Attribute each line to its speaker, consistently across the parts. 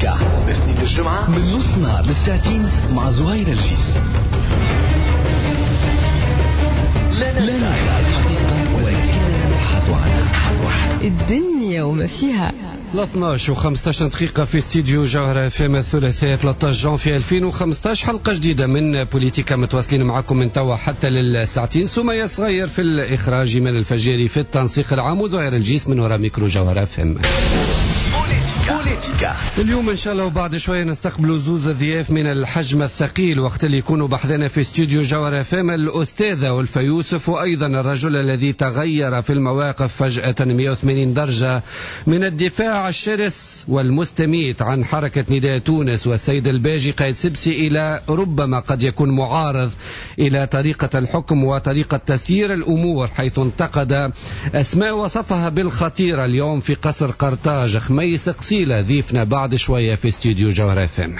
Speaker 1: بوليتيكا الاثنين للجمعة من نص نهار للساعتين مع زهير الجيس. لا ندعي الحقيقة ولكننا نبحث عنها.
Speaker 2: الدنيا وما فيها.
Speaker 3: 12 و15 دقيقة في استديو جوهرة اف ام، الثلاثاء 13 جانفي 2015، حلقة جديدة من بوليتيكا متواصلين معكم من توا حتى للساعتين. سمية صغير في الإخراج، إيمان الفجاري في التنسيق العام، وزهير الجيس من وراء ميكرو جوهرة اف ام.
Speaker 1: بوليتيكا
Speaker 3: اليوم ان شاء الله وبعد شوية نستقبلوا زوز ضياف من الحجم الثقيل وقت اللي يكونوا بحذنا في استوديو جوهرة اف ام، الاستاذة ألفة يوسف، وايضا الرجل الذي تغير في المواقف فجاة 180 درجه من الدفاع الشرس والمستميت عن حركة نداء تونس والسيد الباجي قائد سبسي الى ربما قد يكون معارض الى طريقه الحكم وطريقه تسيير الامور، حيث انتقد اسماء وصفها بالخطيره اليوم في قصر قرطاج. خميس قصيلة ضيفنا بعد شوية في استوديو جوهرة اف ام.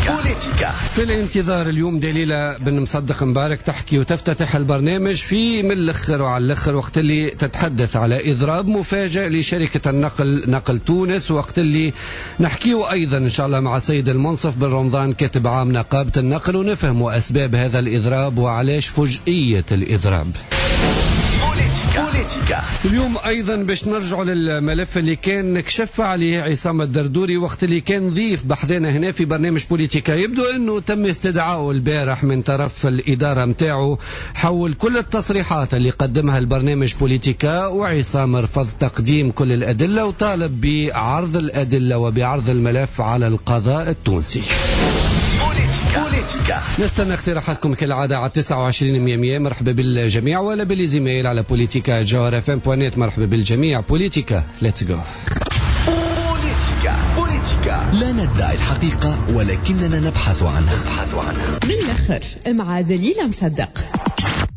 Speaker 1: بوليتيكا
Speaker 3: في الانتظار اليوم دليلة بن مصدق مبارك تحكي وتفتتح البرنامج في من الاخر وعلى الاخر، وقت اللي تتحدث على اضراب مفاجئ لشركة النقل نقل تونس، وقت اللي نحكيه ايضا ان شاء الله مع السيد المنصف بن رمضان كاتب عام نقابة النقل، ونفهم اسباب هذا الاضراب وعلاش فجئية الاضراب.
Speaker 1: بوليتيكا
Speaker 3: اليوم ايضا باش نرجعوا للملف اللي كان كشف عليه عصام الدردوري وقت اللي كان ضيف بحذانا هنا في برنامج بوليتيكا. يبدو انه تم استدعائه البارح من طرف الادارة متاعه حول كل التصريحات اللي قدمها البرنامج بوليتيكا، وعصام رفض تقديم كل الادلة وطالب بعرض الادلة وبعرض الملف على القضاء التونسي.
Speaker 1: بوليتيكا
Speaker 3: نستنى اقتراحاتكم كالعادة على 29 100. مرحبا بالجميع، ولا بال emails على بوليتيكا جوهر اف ام point net. مرحبا بالجميع. بوليتيكا let's go.
Speaker 1: بوليتيكا بوليتيكا لا ندعي الحقيقة ولكننا نبحث عنها.
Speaker 2: من الآخر مع دليلة مصدق.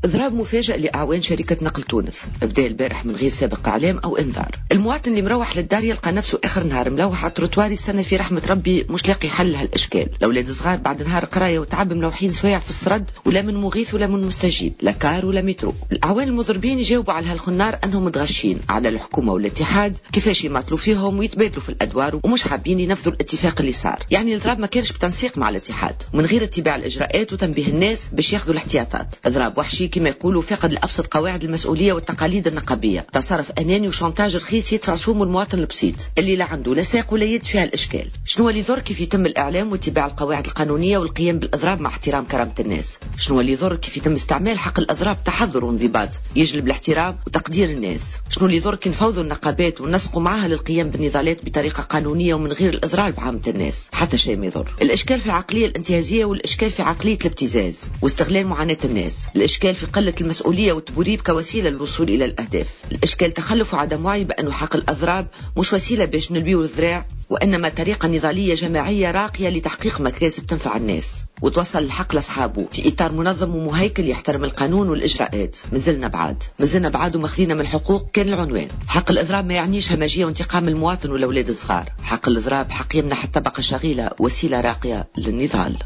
Speaker 4: اضراب مفاجئ لاعوان شركة نقل تونس بدا البارح من غير سابق اعلام او انذار. المواطن اللي مروح للدار يلقى نفسه اخر نهار ملوح على التروتوار يستنى في رحمه ربي، مش لاقي حل لهالاشكال. الاولاد صغار بعد نهار قرايه وتعب ملوحين سوايع في السرد، ولا من مغيث ولا من مستجيب، لا car ولا مترو. الاعوان المضربين يجاوبوا على هالخنار انهم متغشين على الحكومة والاتحاد كيفاش يماطلوا فيهم ويتبادلوا في الادوار، ومش حابين ينفذوا الاتفاق اللي صار. يعني الاضراب ما كانش بتنسيق مع الاتحاد ومن غير اتباع الاجراءات وتنبيه الناس باش ياخذوا الاحتياطات. اضراب وحشي كما يقولوا، فقد لأبسط قواعد المسؤولية والتقاليد النقابية، تصرف أناني و chantage رخيص يدفع سومه المواطن البسيط اللي لا عنده لا ساق ولا يد فيها الإشكال. شنو اللي يضر كيف يتم الإعلام واتباع القواعد القانونية والقيام بالإضراب مع احترام كرامة الناس؟ شنو اللي يضر كيف يتم استعمال حق الإضراب تحضر وانضباط يجلب الاحترام وتقدير الناس؟ شنو اللي يضر كي نفوضوا النقابات ونسقوا معها للقيام بالنضالات بطريقة قانونية ومن غير الإضرار بعامة الناس؟ حتى شيء ما يضر. الإشكال في العقلية الانتهازية، والإشكال في عقلية الابتزاز واستغلال معاناة الناس، الإشكال في قلة المسؤولية والتبوريب كوسيلة للوصول إلى الأهداف، الإشكال تخلف وعدم وعي بأنه حق الأضراب مش وسيلة باش نلبيو الذراع، وإنما طريقة نضالية جماعية راقية لتحقيق مكاسب تنفع الناس وتوصل الحق لأصحابه في إطار منظم ومهيكل يحترم القانون والإجراءات. مازلنا بعاد، مازلنا بعاد وماخذينا من الحقوق كان العنوان. حق الإضراب ما يعنيش همجية وانتقام المواطن والأولاد الصغار. حق الإضراب حق يمنح الطبقة الشغيلة وسيلة راقية للنضال.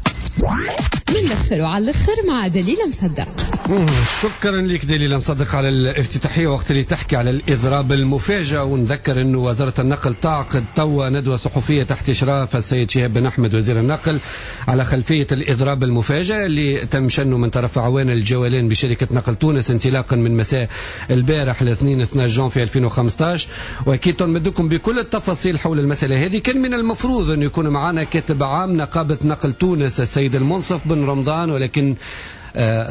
Speaker 2: من الآخر وعلى الآخر مع دليلة مصدق.
Speaker 3: شكرا لك دليلة مصدق على الافتتاحية وقت اللي تحكي على الإضراب المفاجئ. ونذكر أنه وزارة النقل تعقد توا ندوة صحفية تحت إشراف السيد شهاب بن أحمد وزير النقل على خلفية الإضراب المفاجئ اللي تم شنه من طرف أعوان الجوالين بشركة نقل تونس انطلاقا من مساء البارح الاثنين 12 جانفي 2015. وأكيد نمدكم بكل التفاصيل حول المسألة هذه. كان من المفروض أن يكون معنا كاتب عام نقابة نقل تونس السيد المنصف بن رمضان، ولكن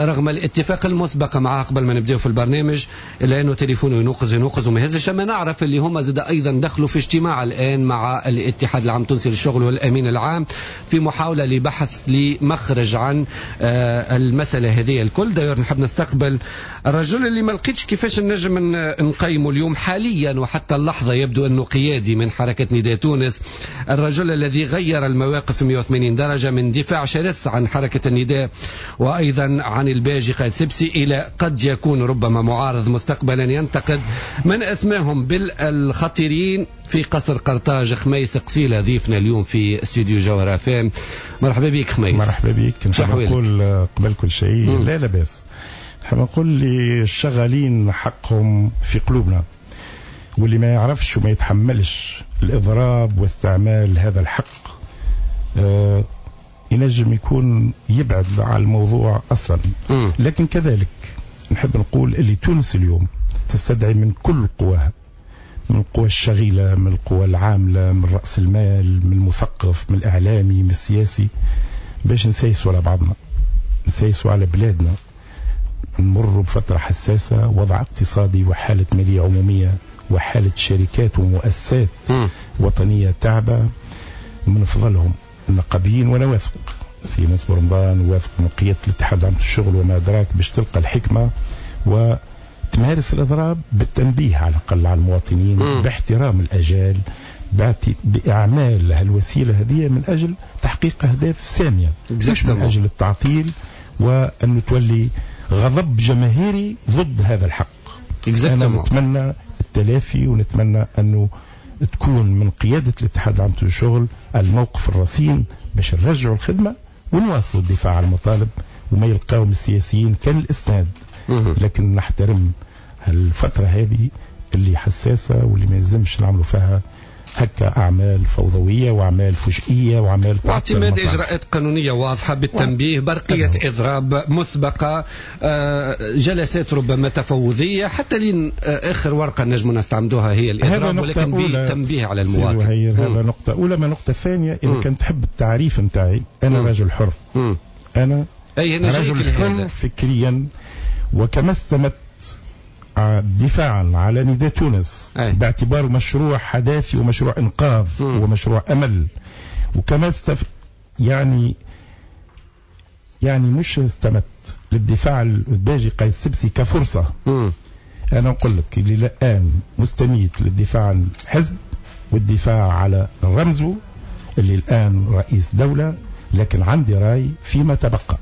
Speaker 3: رغم الاتفاق المسبق معاه قبل ما نبداو في البرنامج الا انه تليفونه ينوقز ينوقز وما يهزش. اما نعرف اللي هما زاد ايضا دخلوا في اجتماع الان مع الاتحاد العام التونسي للشغل والامين العام في محاولة لبحث لمخرج عن المسالة هذه الكل. داير نحب نستقبل الرجل اللي ما لقيتش كيفاش نجم نقيمه اليوم حاليا وحتى اللحظة، يبدو انه قيادي من حركة نداء تونس، الرجل الذي غير المواقف 180 درجه من دفاع شرس عن حركة النداء وايضا عن الباجي قائد سبسي إلى قد يكون ربما معارض مستقبلا ينتقد من أسماهم بالخطيرين في قصر قرطاج. خميس قصيلة ضيفنا اليوم في استوديو جوهرة اف ام. مرحبا بك خميس.
Speaker 5: مرحبا بك. نحب نقول قبل كل شيء لا لاباس، نحب نقول اللي الشغالين حقهم في قلوبنا. واللي ما يعرفش وما يتحملش الإضراب واستعمال هذا الحق ينجم يكون يبعد على الموضوع أصلا. لكن كذلك نحب نقول اللي تونس اليوم تستدعي من كل قواها، من القوى الشغيلة، من القوى العاملة، من رأس المال، من المثقف، من الإعلامي، من السياسي، باش نسايسوا على بعضنا، نسايسوا على بلادنا. نمر بفترة حساسة، وضع اقتصادي وحالة مالية عمومية وحالة شركات ومؤسسات وطنية تعبة. من فضلهم النقابيين، وأنا واثق سي منصور رمضان، واثق من قيادة الاتحاد العام للشغل وما أدراك، باش تلقى الحكمة وتمارس الإضراب بالتنبيه على الأقل على المواطنين، باحترام الأجال، بإعمال هالوسيلة هذه من أجل تحقيق أهداف سامية، مش من أجل التعطيل وأن تولي غضب جماهيري ضد هذا الحق. أنا نتمنى التلافي، ونتمنى أنه تكون من قيادة الاتحاد العام للشغل الموقف الرصين باش نرجعوا الخدمة ونواصلوا الدفاع عن المطالب، وما يلقاهم السياسيين كان الإسناد. لكن نحترم الفترة هذه اللي حساسة واللي ما يلزمش نعملوا فيها هكا أعمال فوضوية وأعمال فجئية وأعمال
Speaker 3: واعتماد إجراءات قانونية واضحة بالتنبيه، برقية إضراب مسبقة، جلسات ربما تفاوضية، حتى لين آخر ورقة نجم نستعمدوها هي الإضراب، ولكن بالتنبيه على المواطن.
Speaker 5: هذا نقطة أولى. ما نقطة ثانية، إذا كان تحب التعريف نتاعي، أنا رجل حر. أنا رجل حر فكريا، وكما استمدت دفاعا على نداء تونس باعتباره مشروع حداثي ومشروع إنقاذ ومشروع أمل، وكما يعني مش استمدت للدفاع الباجي قايد السبسي كفرصة. أنا أقول لك اللي الآن مستميت للدفاع عن الحزب والدفاع على رمزه اللي الآن رئيس دولة، لكن عندي رأي فيما تبقى.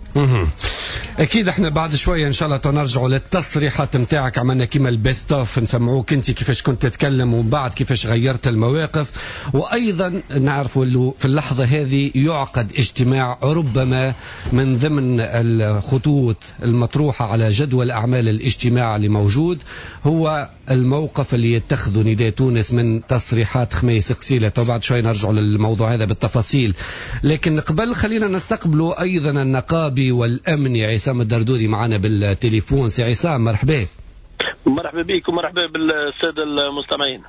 Speaker 3: أكيد احنا بعد شوية إن شاء الله نرجعوا للتصريحات متاعك، عملنا كيما ال best of، نسمعوك أنت كيفاش كنت تتكلم ومن بعد كيفاش غيرت المواقف. وأيضا نعرفوا أنه في اللحظة هذه يعقد اجتماع ربما من ضمن الخطوط المطروحة على جدول أعمال الاجتماع اللي موجود هو الموقف اللي يتخذه نداء تونس من تصريحات خميس قسيلة. وبعد شوي نرجع للموضوع هذا بالتفاصيل، لكن قبل خلينا نستقبله أيضا النقابي والأمني عصام الدردوري معنا بالتليفون. سي عصام مرحبا.
Speaker 6: مرحبا بك ومرحبا بالسادة المستمعين.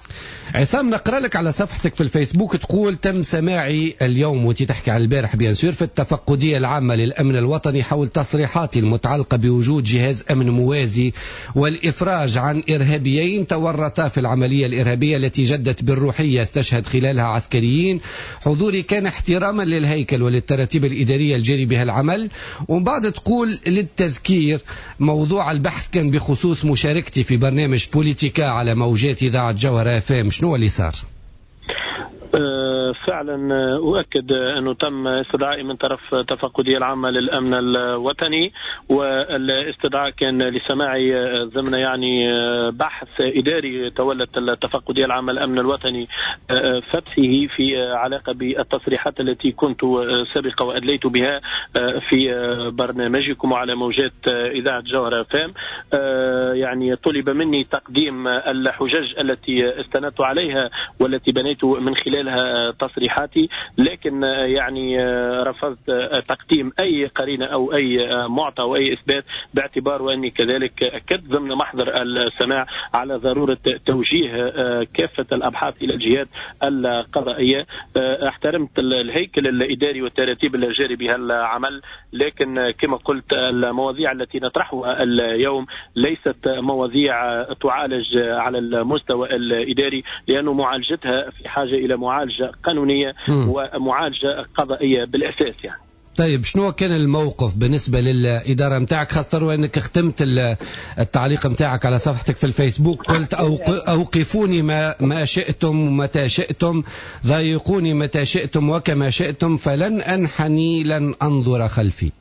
Speaker 3: عصام، نقرأ لك على صفحتك في الفيسبوك تقول: تم سماعي اليوم، وانت تحكي على البارح bien sûr، في التفقدية العامة للأمن الوطني حول تصريحاتي المتعلقة بوجود جهاز أمن موازي والإفراج عن إرهابيين تورطا في العملية الإرهابية التي جدت بالروحية استشهد خلالها عسكريين. حضوري كان احتراما للهيكل وللتراتيب الإدارية الجاري بها العمل. ومن بعد تقول: للتذكير، موضوع البحث كان بخصوص مشاركتي في برنامج بوليتيكا على موجات إذاعة جوهرة FM. شنو اللي صار؟
Speaker 6: فعلا أؤكد أنه تم استدعائي من طرف التفقدية العامة للأمن الوطني، والاستدعاء كان لسماعي ضمن يعني بحث إداري تولت التفقدية العامة للأمن الوطني فتحه في علاقة بالتصريحات التي كنت سابقة وأدليت بها في برنامجكم على موجات إذاعة جوهرة FM. يعني طلب مني تقديم الحجج التي استندت عليها والتي بنيت من خلالها تصريحاتي، لكن يعني رفضت تقديم أي قرينة أو أي معطى أو أي إثبات، باعتبار وأني كذلك أكدت ضمن محضر السماع على ضرورة توجيه كافة الأبحاث إلى الجهات القضائية. احترمت الهيكل الإداري والتراتيب الجاري بها العمل، لكن كما قلت المواضيع التي نطرحها اليوم ليست مواضيع تعالج على المستوى الإداري، لأن معالجتها في حاجة إلى معالجة قانونية ومعالجة قضائية بالأساس يعني.
Speaker 3: طيب، شنو كان الموقف بالنسبة للإدارة متاعك، خاصة وأنك ختمت التعليق متاعك على صفحتك في الفيسبوك قلت أوقفوني ما شئتم متى شئتم، ضايقوني متى شئتم وكما شئتم، فلن أنحني لن أنظر خلفي.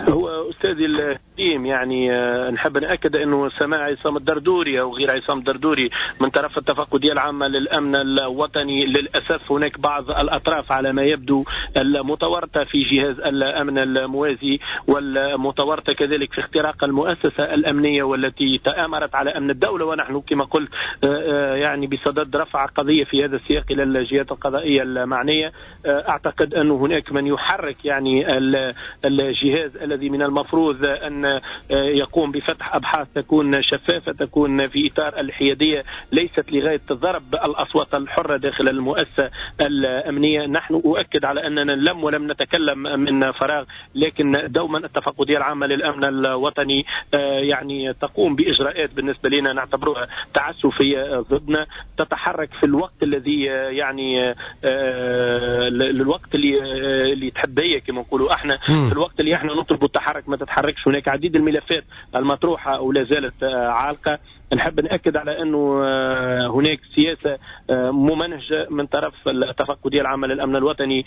Speaker 6: هو أستاذي الكريم الكريم، يعني نحب نأكد أنه سماع عصام الدردوري أو غير عصام الدردوري من طرف التفقدية العامة للأمن الوطني، للأسف هناك بعض الأطراف على ما يبدو المتورطة في جهاز الأمن الموازي والمتورطة كذلك في اختراق المؤسسة الأمنية والتي تآمرت على أمن الدولة، ونحن كما قلت يعني بصدد رفع قضية في هذا السياق إلى الجهات القضائية المعنية. أعتقد أن هناك من يحرك يعني الجهاز الذي من المفروض أن يقوم بفتح أبحاث تكون شفافة، تكون في إطار الحيادية، ليست لغاية ضرب الأصوات الحرة داخل المؤسسة الأمنية. نحن أؤكد على أننا لم نتكلم من فراغ، لكن دوما التفقدية العامة للأمن الوطني يعني تقوم بإجراءات بالنسبة لنا نعتبرها تعسفية ضدنا، تتحرك في الوقت الذي يعني الوقت اللي تحب هي كما نقولوا احنا، في الوقت اللي احنا نطلب التحرك ما تتحركش. هناك عديد الملفات المطروحة ولا زالت عالقة. نحب نأكد على أنه هناك سياسة ممنهجة من طرف التفقدية العامة للأمن الوطني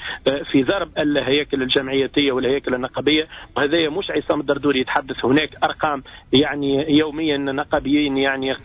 Speaker 6: في ضرب الهياكل الجمعياتية والهياكل النقابية، وهذا مش عصام الدردوري يتحدث، هناك أرقام يعني يوميا نقابيين يعني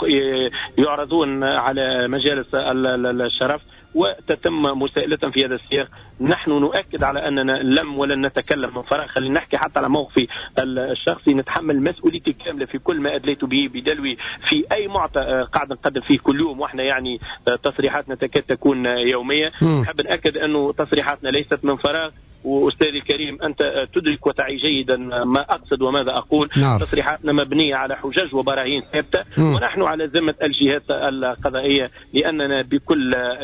Speaker 6: يعرضون على مجالس الشرف وتتم مساءلتهم في هذا السياق. نحن نؤكد على أننا لم ولن نتكلم من فراغ، خلينا نحكي حتى على موقفي الشخصي، نتحمل مسؤوليتي الكاملة في كل ما أدليت به بدلوي في أي معطى قاعد نقدم فيه كل يوم، وإحنا يعني تصريحاتنا تكاد تكون يومية. نحب نأكد أنه تصريحاتنا ليست من فراغ، وأستاذي الكريم أنت تدرك وتعي جيدا ما أقصد وماذا أقول. نعم. تصريحاتنا مبنية على حجج وبراهين ثابتة، ونحن على ذمة الجهات القضائية، لأننا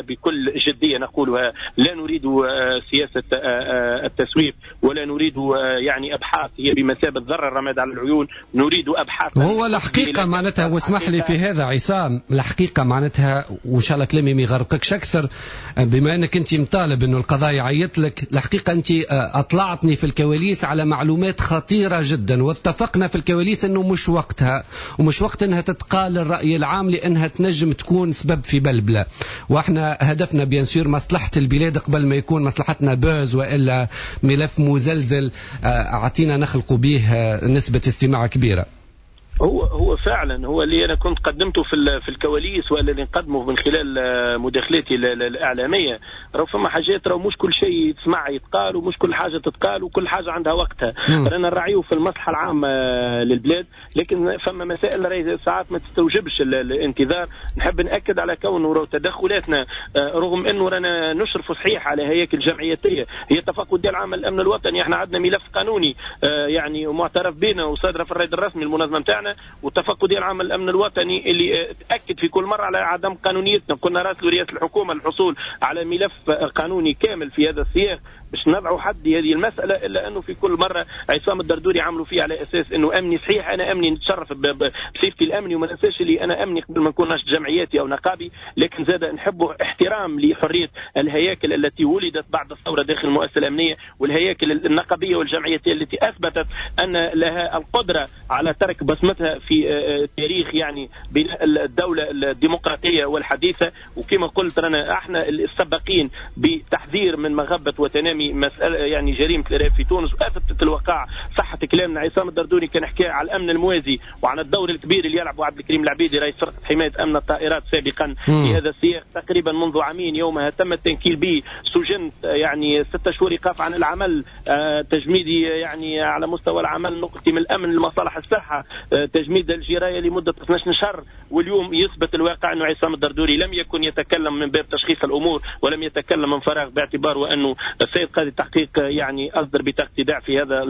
Speaker 6: بكل جدية نقولها لا نريد سياسة التسويف، ولا نريد يعني أبحاث هي بمثابة ذر الرماد على العيون، نريد أبحاث.
Speaker 3: هو الحقيقة معناتها، واسمح لي في هذا عصام، الحقيقة معناتها وإن شاء الله كلامي ما يغرقكش أكثر، بما أنك أنت مطالب أنه القضاء يعيط لك، الحقيقة أنت أطلعتني في الكواليس على معلومات خطيرة جدا، واتفقنا في الكواليس أنه مش وقتها ومش وقت أنها تتقال للرأي العام لأنها تنجم تكون سبب في بلبلة، وإحنا هدفنا bien sûr مصلحة البلاد قبل ما يكون مصلحتنا buzz وإلا ملف مزلزل أعطينا نخلق به نسبة استماع كبيرة.
Speaker 6: هو فعلا هو اللي انا كنت قدمته في الكواليس والذي نقدمه من خلال مداخلاتي الاعلامية، راهو فما حاجات، راهو مش كل شيء يتسمع يتقال، ومش كل حاجة تتقال، وكل حاجة عندها وقتها. رانا نراعيو في المصلحة العامة للبلاد، لكن فما مسائل راهي ساعات ما تستوجبش الانتظار. نحب ناكد على كونه راهو تدخلاتنا رغم انه رانا نشرف صحيح على هياكل جمعياتيه، هي التفقديه العامة للامن الوطني، احنا عندنا ملف قانوني يعني معترف بنا وصادره في الرائد الرسمي المنظمة نتاعنا، والتفقديه العامة للامن الوطني اللي تاكد في كل مرة على عدم قانونيتنا. كنا راسلوا رئاسة الحكومة للحصول على ملف قانوني كامل في هذا السياق باش نضعوا حد هذه المسالة، الا انه في كل مرة عصام الدردوري عملوا فيه على اساس انه امني. صحيح انا امني، نتشرف بصفتي الامني، وما ننساش اللي انا امني قبل ما نكون ناشط جمعياتي او نقابي، لكن زاد نحب احترام لحرية الهياكل التي ولدت بعد الثورة داخل المؤسسة الامنية، والهياكل النقابيه والجمعياتيه التي اثبتت ان لها القدرة على ترك بصمتها في تاريخ يعني بناء الدولة الديمقراطية والحديثه. وكما قلت رانا احنا السباقين بتحذير من مغبه وتنامي مسألة يعني جريمة الإرهاب في تونس، وأثبتت الوقائع صحة كلامنا. عصام الدردوري كان حكى على الأمن الموازي وعن الدور الكبير اللي يلعبه عبد الكريم العبيدي رئيس فرقة حماية أمن الطائرات سابقا في هذا السياق تقريبا منذ عامين، يومها تم التنكيل به، سجنت يعني 6 شهور إيقاف عن العمل، تجميدي يعني على مستوى العمل، نقلتي من الأمن لمصالح الصحة، تجميد الجراية لمدة 12 شهر. واليوم يثبت الواقع أنه عصام الدردوري لم يكن يتكلم من باب تشخيص الأمور، ولم يتكلم من فراغ، باعتباره أنه السيد قاضي التحقيق يعني أصدر بطاقة ايداع في هذا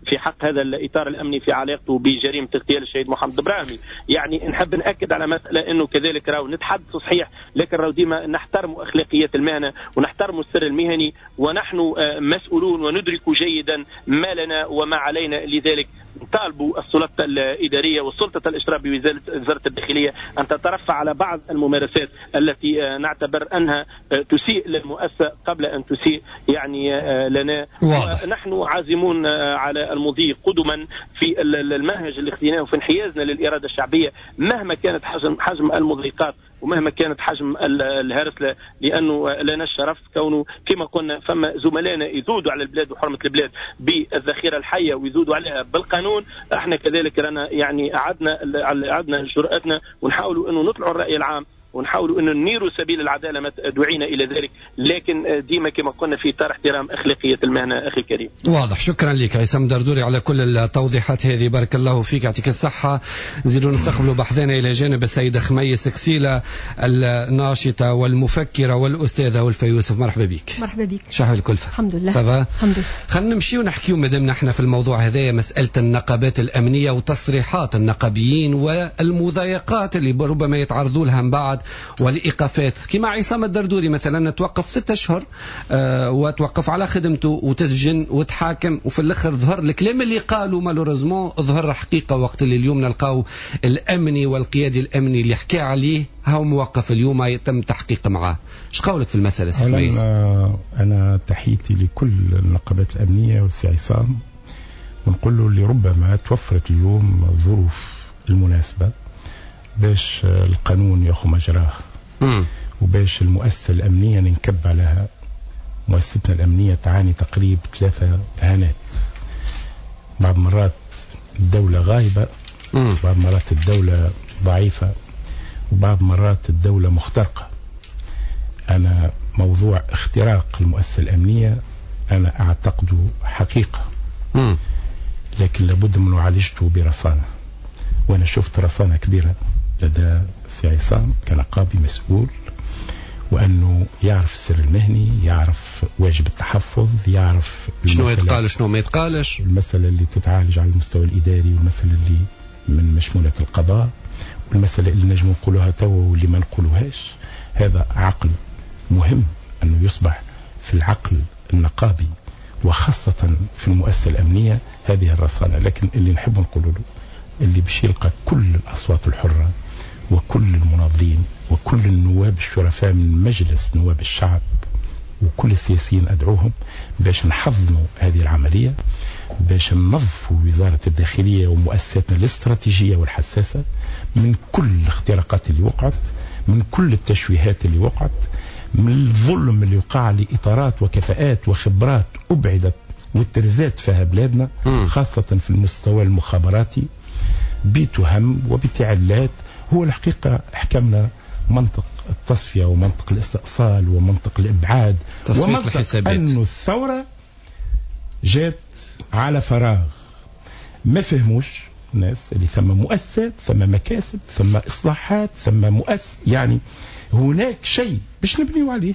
Speaker 6: في حق هذا الإطار الأمني في علاقته بجريمة اغتيال الشهيد محمد إبراهيمي. يعني نحب نأكد على مسألة أنه كذلك راهو نتحدث صحيح، لكن راهو ديما نحترم أخلاقيات المهنة ونحترم السر المهني، ونحن مسؤولون وندرك جيدا ما لنا وما علينا. لذلك نطالب السلطة الإدارية والسلطة الإشراف بوزارة الداخلية أن تترفع على بعض الممارسات التي نعتبر أنها تسيء للمؤسسة قبل أن تسيء يعني لنا. ونحن عازمون على المضي قدما في المنهج اللي اخذناه وفي انحيازنا للإرادة الشعبية مهما كانت حجم المضيقات ومهما كانت حجم الهرسلة، لأنه لنا الشرف كونه كما قلنا فما زملائنا يذودوا على البلاد وحرمة البلاد بالذخيرة الحية ويذودوا عليها بالقانون. القانون. احنا كذلك رانا يعني عدنا جرأتنا ونحاولوا انه نطلعوا الرأي العام ونحاولوا انه ننيروا سبيل العدالة ما دعينا الى ذلك، لكن ديما كما قلنا في اطار احترام اخلاقية المهنة اخي الكريم.
Speaker 3: واضح، شكرا لك عصام دردوري على كل التوضيحات هذه، بارك الله فيك، يعطيك الصحة. نزيدوا نستقبلوا بحثنا الى جانب السيدة خميس كسيله الناشطه والمفكره والاستاذه والفا يوسف، مرحبا بك.
Speaker 7: مرحبا بك.
Speaker 3: شحال الكلفة؟
Speaker 7: الحمد لله.
Speaker 3: ça va؟
Speaker 7: الحمد لله.
Speaker 3: خلينا نمشيو نحكيو مادام نحن في الموضوع هذايا، مسالة النقابات الامنية وتصريحات النقابيين والمضايقات اللي ربما يتعرضوا لها من بعد والايقافات، كما عصام الدردوري مثلا توقف 6 اشهر وتوقف على خدمته وتسجن وتحاكم، وفي الاخر ظهر الكلام اللي قالوا malheureusement ظهر حقيقة، وقت اللي اليوم نلقاو الامني والقيادي الامني اللي حكى عليه هو موقف اليوم يتم تحقيق معاه. ايش قولك في المسالة سي خميس؟
Speaker 5: انا تحيتي لكل النقابات الامنية والسي عصام، ونقول له اللي ربما توفرت اليوم الظروف المناسبة باش القانون ياخذ مجراه، وباش المؤسسة الأمنية ننكب عليها. مؤسستنا الأمنية تعاني تقريب 3 إهانات. بعض مرات الدولة غايبة، بعض مرات الدولة ضعيفة، وبعض مرات الدولة مخترقة. أنا موضوع اختراق المؤسسة الأمنية أنا أعتقده حقيقة، لكن لابد من معالجته برصانة. وأنا شفت رصانة كبيرة لدى سي عصام كنقابي مسؤول، وأنه يعرف السر المهني، يعرف واجب التحفظ، يعرف
Speaker 3: شنو يتقال شنو ما يتقالش،
Speaker 5: المسألة اللي تتعالج على المستوى الإداري، والمسألة اللي من مشمولة القضاء، والمسألة اللي نجم نقولوها توا واللي ما نقولوهاش. هذا عقل مهم أنه يصبح في العقل النقابي وخاصة في المؤسسة الأمنية هذه الرصانة. لكن اللي نحب نقوله له اللي باش يلقى كل الأصوات الحرة وكل المناضلين وكل النواب الشرفاء من مجلس نواب الشعب وكل السياسيين أدعوهم باش نحضنوا هذه العملية، باش ننظفوا وزارة الداخلية ومؤسساتنا الاستراتيجية والحساسة من كل الاختراقات اللي وقعت، من كل التشويهات اللي وقعت، من الظلم اللي وقع لإطارات وكفاءات وخبرات أبعدت والترزات فيها بلادنا، خاصة في المستوى المخابراتي بتهم وبتعلات. هو الحقيقة حكمنا منطق التصفية ومنطق الاستئصال ومنطق الإبعاد ومنطق أن الثورة جات على فراغ. ما فهموش الناس اللي ثم مؤسسات، ثم مكاسب، ثم إصلاحات، ثم مؤسس، يعني هناك شيء باش نبنيو عليه.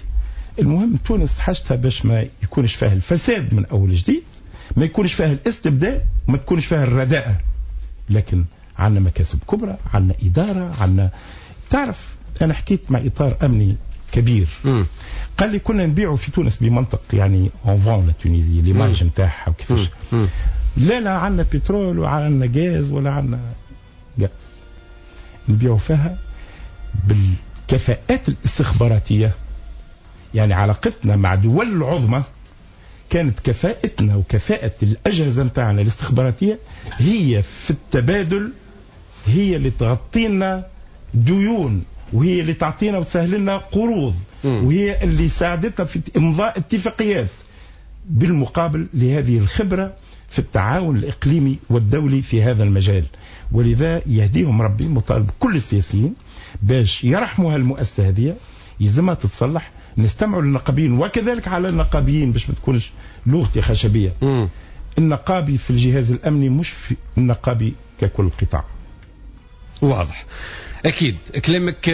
Speaker 5: المهم تونس حاجتها باش ما يكونش فيها الفساد من أول جديد، ما يكونش فيها الاستبداد، ما تكونش فيها الرداءة. لكن عندنا مكاسب كبرى، عندنا إدارة، عندنا تعرف. أنا حكيت مع إطار أمني كبير، قال لي كنا نبيعوا في تونس بمنطق يعني on vend la Tunisie l'image نتاعها وكيفاش. لا عندنا بترول وعندنا غاز ولا عندنا غاز، نبيعوا فيها بالكفاءات الاستخباراتية. يعني علاقتنا مع دول العظمى كانت كفاءتنا وكفاءة الأجهزة نتاعنا الاستخباراتية هي في التبادل، هي اللي تغطينا ديون، وهي اللي تعطينا وتسهل لنا قروض، وهي اللي ساعدتنا في إمضاء اتفاقيات، بالمقابل لهذه الخبرة في التعاون الإقليمي والدولي في هذا المجال. ولذا يهديهم ربي، مطالب كل السياسيين باش يرحموا هالمؤسسة هذه، يلزمها تتصلح. نستمعوا للنقابيين وكذلك على النقابيين باش ما تكونش لغتي خشبية. النقابي في الجهاز الأمني مش في النقابي ككل قطاع.
Speaker 3: واضح، أكيد كلامك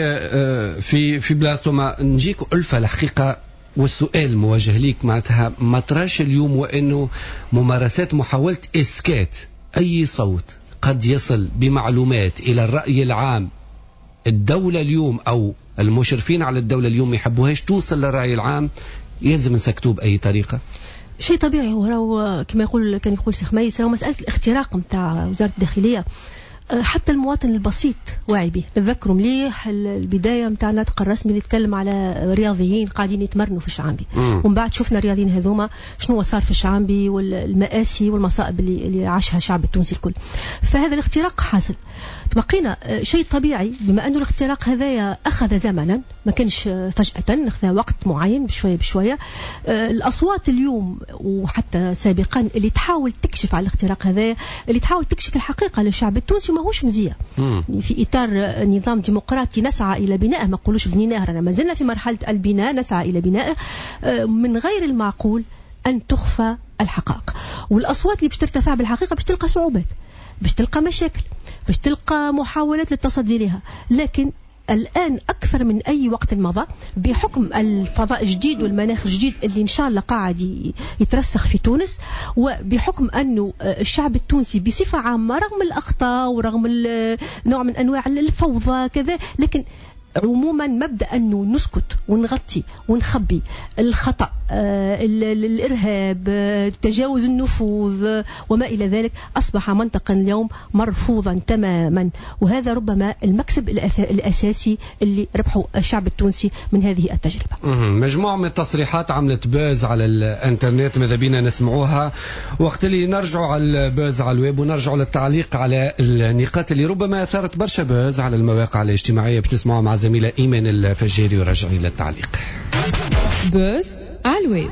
Speaker 3: في بلاصته. ما نجيك ألفة الحقيقة، والسؤال موجه ليك معناتها ما تراش اليوم وأنه ممارسات محاولة إسكات أي صوت قد يصل بمعلومات إلى الرأي العام، الدولة اليوم أو المشرفين على الدولة اليوم يحبوهاش توصل للرأي العام، يلزم نسكتوه بأي طريقة؟
Speaker 7: شيء طبيعي. هو راهو كما يقول كان يقول سي خميس، راهو مسألة الاختراق نتاع وزارة الداخلية حتى المواطن البسيط واعي به. نتذكروا مليح البداية نتاع الناطق الرسمي اللي يتكلم على رياضيين قاعدين يتمرنوا في الشعانبي، ومن بعد شفنا الرياضيين هذوما شنو صار في الشعانبي والمآسي والمصائب اللي عاشها الشعب التونسي الكل. فهذا الاختراق حاصل. تبقينا شيء طبيعي بما أنه الاختراق هذايا أخذ زمنا، ما كانش فجأة، أخذ وقت معين بشوية بشوية. الأصوات اليوم وحتى سابقا اللي تحاول تكشف على الاختراق هذايا، اللي تحاول تكشف الحقيقة للشعب التونسي، ماهوش مزية. في إطار نظام ديمقراطي نسعى إلى بنائه، ما نقولوش بنيناه، رانا ما زلنا في مرحلة البناء، نسعى إلى بنائه. من غير المعقول أن تخفى الحقائق، والأصوات اللي باش ترتفع بالحقيقة باش تلقى صعوبات، باش تلقى مشاكل، باش تلقى محاولات للتصدي لها. لكن الآن أكثر من أي وقت مضى، بحكم الفضاء الجديد والمناخ الجديد اللي إن شاء الله قاعد يترسخ في تونس، وبحكم أنه الشعب التونسي بصفة عامة رغم الأخطاء ورغم نوع من أنواع الفوضى كذا، لكن عموما مبدأ أنه نسكت ونغطي ونخبي الخطأ، الإرهاب، تجاوز النفوذ وما إلى ذلك، أصبح منطقا اليوم مرفوضا تماما. وهذا ربما المكسب الأساسي اللي ربحه الشعب التونسي من هذه التجربة.
Speaker 3: مجموعة من التصريحات عملت buzz على الانترنت، ماذا بينا نسمعوها وقت اللي نرجعوا على ال buzz على الويب ونرجعوا للتعليق على النقاط اللي ربما أثارت برشا buzz على المواقع الاجتماعية، باش نسمعوها مع زميلة إيمان الفجيري ورجعي للتعليق.
Speaker 2: buzz على الويب.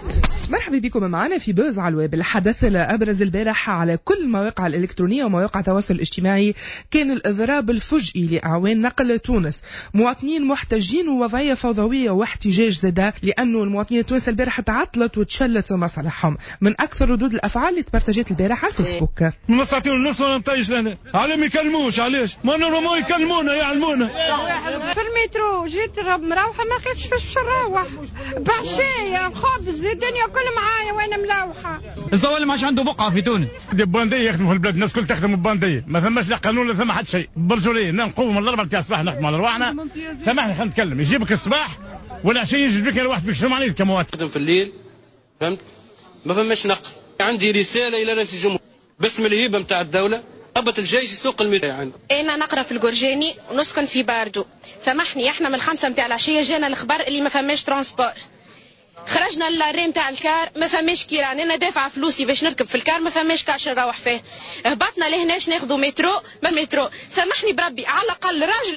Speaker 8: مرحبا بكم معنا في buzz على الويب. الحدث الأبرز البارح على كل المواقع الإلكترونية ومواقع التواصل الاجتماعي كان الإضراب الفجئي لأعوان نقل تونس. مواطنين محتجين ووضعية فوضوية واحتجاج زادة، لأنه المواطنين التوانسة البارح تعطلت وتشلت مصالحهم. من أكثر ردود الأفعال اللي تبرتجت البارح على الفيسبوك.
Speaker 9: من ساعتين ونص وانا مطيش لهنا، علاه ما يكلموش؟ علاش؟ ما normalement يكلمونا يعلمونا.
Speaker 10: في المترو جيت مروحة ما لقيتش فاش باش نروح، بعشايا خبز الدنيا كل معايا وانا ملوحه.
Speaker 11: الزوال ما عادش عنده بقعة في تونس.
Speaker 12: des bandits يخدموا في البلاد، الناس الكل تخدم ببانديه، ما ثماش لا قانون لا ثم حتى شيء. برجولية نقوم من 4 تاع الصباح نخدموا على رواحنا. سامحني خلينا نتكلم، يجيبك الصباح والعشيه يجيبك لوحدك بك، شنو معناتها كمواطن؟
Speaker 13: نخدم في الليل، فهمت؟ ما فماش نقل. عندي رسالة الى رئيس الجمهورية باسم الهيبة نتاع الدولة، هبط الجيش يسوق المياه عندي.
Speaker 14: انا نقرا في الجرجاني ونسكن في باردو. سامحني احنا من 5 نتاع العشية جانا الخبر اللي ما فماش transport. خرجنا l'arrêt نتاع ال car ما فماش كيران، انا دافعه فلوسي باش نركب في ال car ما فماش كاش نروح فيه. هبطنا لهناش ناخذوا مترو ما مترو. سامحني بربي على الاقل راجل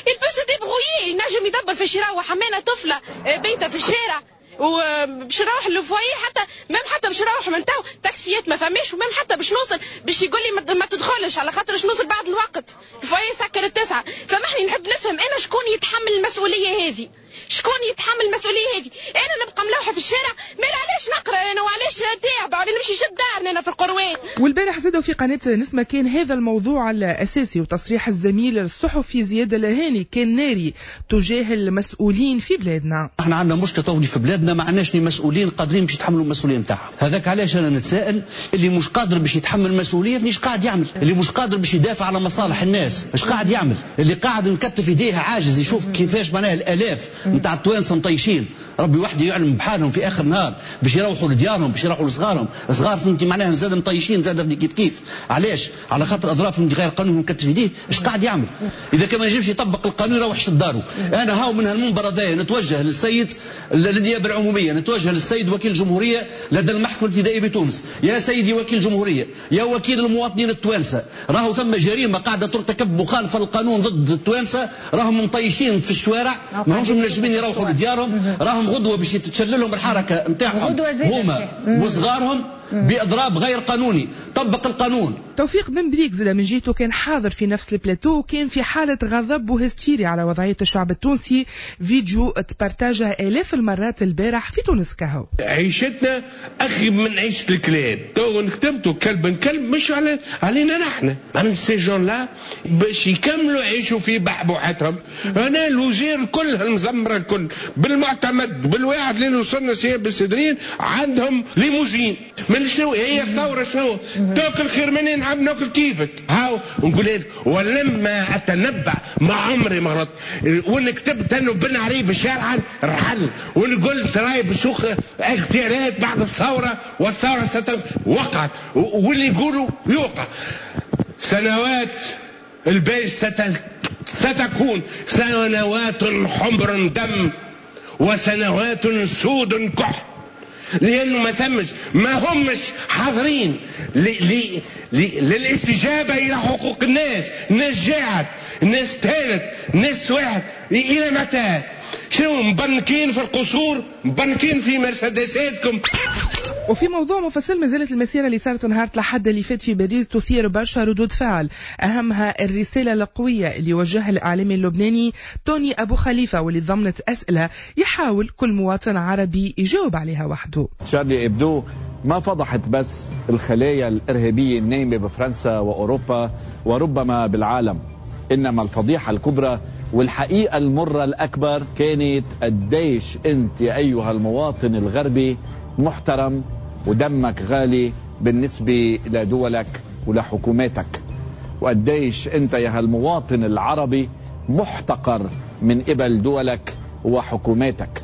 Speaker 14: il peut se débrouiller، ينجم يدبر فاش يروح. انا طفله بيته في الشارع وباش نروح لل foyer، حتى même حتى باش نروح من تو تاكسيات ما فماش، و même حتى باش نوصل باش يقول لي ما تدخلش على خاطر باش نوصل بعد الوقت، ال foyer سكر 9. سامحني نحب نفهم انا شكون يتحمل المسؤولية هذه؟ شكون يتحمل المسؤولية هذه؟ انا نبقى ملوحه في الشارع، ما علاش نقرا انا وعلاش تعبه ولا نمشي جد دارنا انا في القروان.
Speaker 8: والبارح زادوا في قناة نسمه كان هذا الموضوع الاساسي، وتصريح الزميل الصحفي زياد الهاني كان ناري تجاه المسؤولين في بلادنا.
Speaker 15: احنا عندنا مشكلة طولي في بلادنا، ما عندناش مسؤولين قادرين باش يتحملوا المسؤولية نتاعهم. هذاك علاش انا نتساءل اللي مش قادر باش يتحمل المسؤولية فنيش قاعد يعمل، اللي مش قادر باش يدافع على مصالح الناس اش قاعد يعمل، اللي قاعد مكتف يديه عاجز يشوف كيفاش معناها الالاف نتاع التوانسة مطيشين، ربي وحده يعلم بحالهم في اخر نهار باش يروحوا لديارهم، باش يروحوا لصغارهم، صغار فهمتي معناها زاد مطيشين زاد كيف كيف. علاش؟ على خاطر اضراف غير قانون مكتف يديه اش قاعد يعمل؟ اذا كان ما ينجمش يطبق القانون يروح لدارو. انا هاو من هالمنبر هذايا نتوجه للسيد للنيابه العمومية، نتوجه للسيد وكيل الجمهورية لدى المحكمة الابتدائية بتونس، يا سيدي وكيل الجمهورية، يا وكيل المواطنين التوانسة، راهو ثم جريمة قاعدة ترتكب مخالفة للقانون ضد التوانسة، راهم مطيشين في الشوارع، ما همش منجمين يروحوا لديارهم، راهم غدوه باش تتشللهم الحركة نتاعهم هما وصغارهم باضراب غير قانوني. طبق القانون.
Speaker 8: توفيق بن بريك زاد من جهته كان حاضر في نفس البلاتو، وكان في حالة غضب وهستيري على وضعية الشعب التونسي. فيديو تبارتاجه آلاف المرات البارح في تونس كهو.
Speaker 16: عيشتنا أخي من عيشة الكلاب، تو كتبتوا كلب كلب مش علينا نحن، معناها ces gens-là باش يكملوا يعيشوا في بحبوحتهم. أنا الوزير كل المزمرة الكل بالمعتمد بالواحد اللي وصلنا سياب بالسدرين عندهم ليموزين. من شنو هي الثورة؟ شنو تاكل خير مني نحب ناكل كيفك هاو نقول لك. ولما اتنبأ ما عمري ما غلطت، وان كتبت انه بن علي شارعا رحل، وان قلت راي بشوخ اغتيالات بعد الثورة والثورة وقعت، واللي يقولوا يوقع. سنوات الباج ستكون سنوات حمر دم وسنوات سود كح، لأنه ما ثمش، ما همش حاضرين للاستجابة إلى حقوق الناس. الناس جاعت، الناس تهانت، الناس واحد. إلى متى؟ شنو مبنكين في القصور، مبنكين في مرسيدساتكم؟
Speaker 8: وفي موضوع مفصل، ما زالت المسيرة اللي صارت نهار الأحد اللي فات في باريس تثير برشا ردود فعل، أهمها الرسالة القوية اللي وجهها الإعلامي اللبناني توني أبو خليفة، واللي ضمنت أسئلة يحاول كل مواطن عربي يجاوب عليها وحده.
Speaker 17: شارلي إبدو ما فضحت بس الخلايا الإرهابية النايمة بفرنسا وأوروبا وربما بالعالم، إنما الفضيحة الكبرى والحقيقة المرة الأكبر كانت قديش أنت يا أيها المواطن الغربي محترم ودمك غالي بالنسبة لدولك ولحكوماتك، وقديش أنت يا هالمواطن العربي محتقر من قبل دولك وحكوماتك.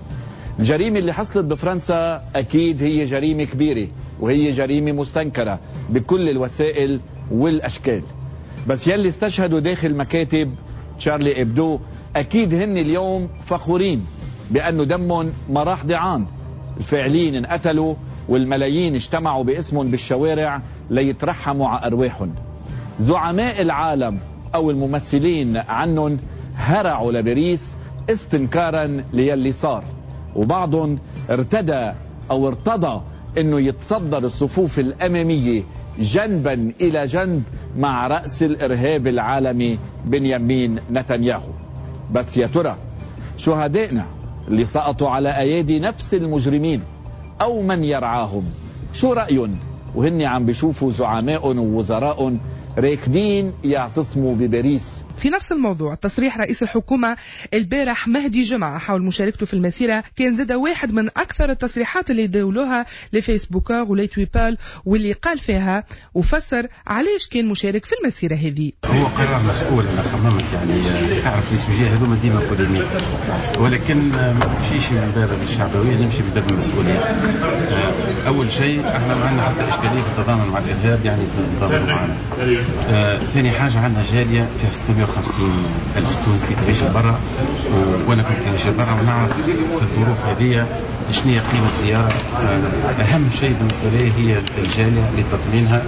Speaker 17: الجريمة اللي حصلت بفرنسا أكيد هي جريمة كبيرة وهي جريمة مستنكرة بكل الوسائل والأشكال، بس يلي استشهدوا داخل مكاتب شارلي إبدو أكيد هن اليوم فخورين بأنه دمهم ما راح ضيعان. الفاعلين انقتلوا والملايين اجتمعوا باسمهم بالشوارع ليترحموا على أرواحهم. زعماء العالم أو الممثلين عنهم هرعوا لباريس استنكارا ليلي صار، وبعضهم ارتدى أو ارتضى أنه يتصدر الصفوف الأمامية جنبا إلى جنب مع رأس الإرهاب العالمي بنيامين نتنياهو. بس يا ترى شهدائنا اللي سقطوا على أيادي نفس المجرمين أو من يرعاهم شو رأيهم وهن عم بيشوفوا زعماء ووزراء راكدين يعتصموا بباريس؟
Speaker 8: في نفس الموضوع، تصريح رئيس الحكومة البارح مهدي جمعة حول مشاركته في المسيرة كان زاد واحد من أكثر التصريحات اللي داولوها les facebookeurs و les twipals، واللي قال فيها وفسر علاش كان مشارك في المسيرة هذه.
Speaker 18: هو قرار مسؤول، أنا خممت يعني تعرف les sujets هذوما ديما polémiques، ولكن ما نمشيش من باب الشعبوية، نمشي من باب المسؤولية. أول شيء احنا ما عندنا حتى إشكالية في التضامن مع الإرهاب، يعني التضامن معنا. ثاني حاجة عندنا جالية فيها 650 ألف تونسي تعيش برا، وأنا كنت نعيش برا ونعرف في الظروف هذه شنو هي قيمة زيارة. أهم شيء بالنسبة لي هي الجالية لتطمينها.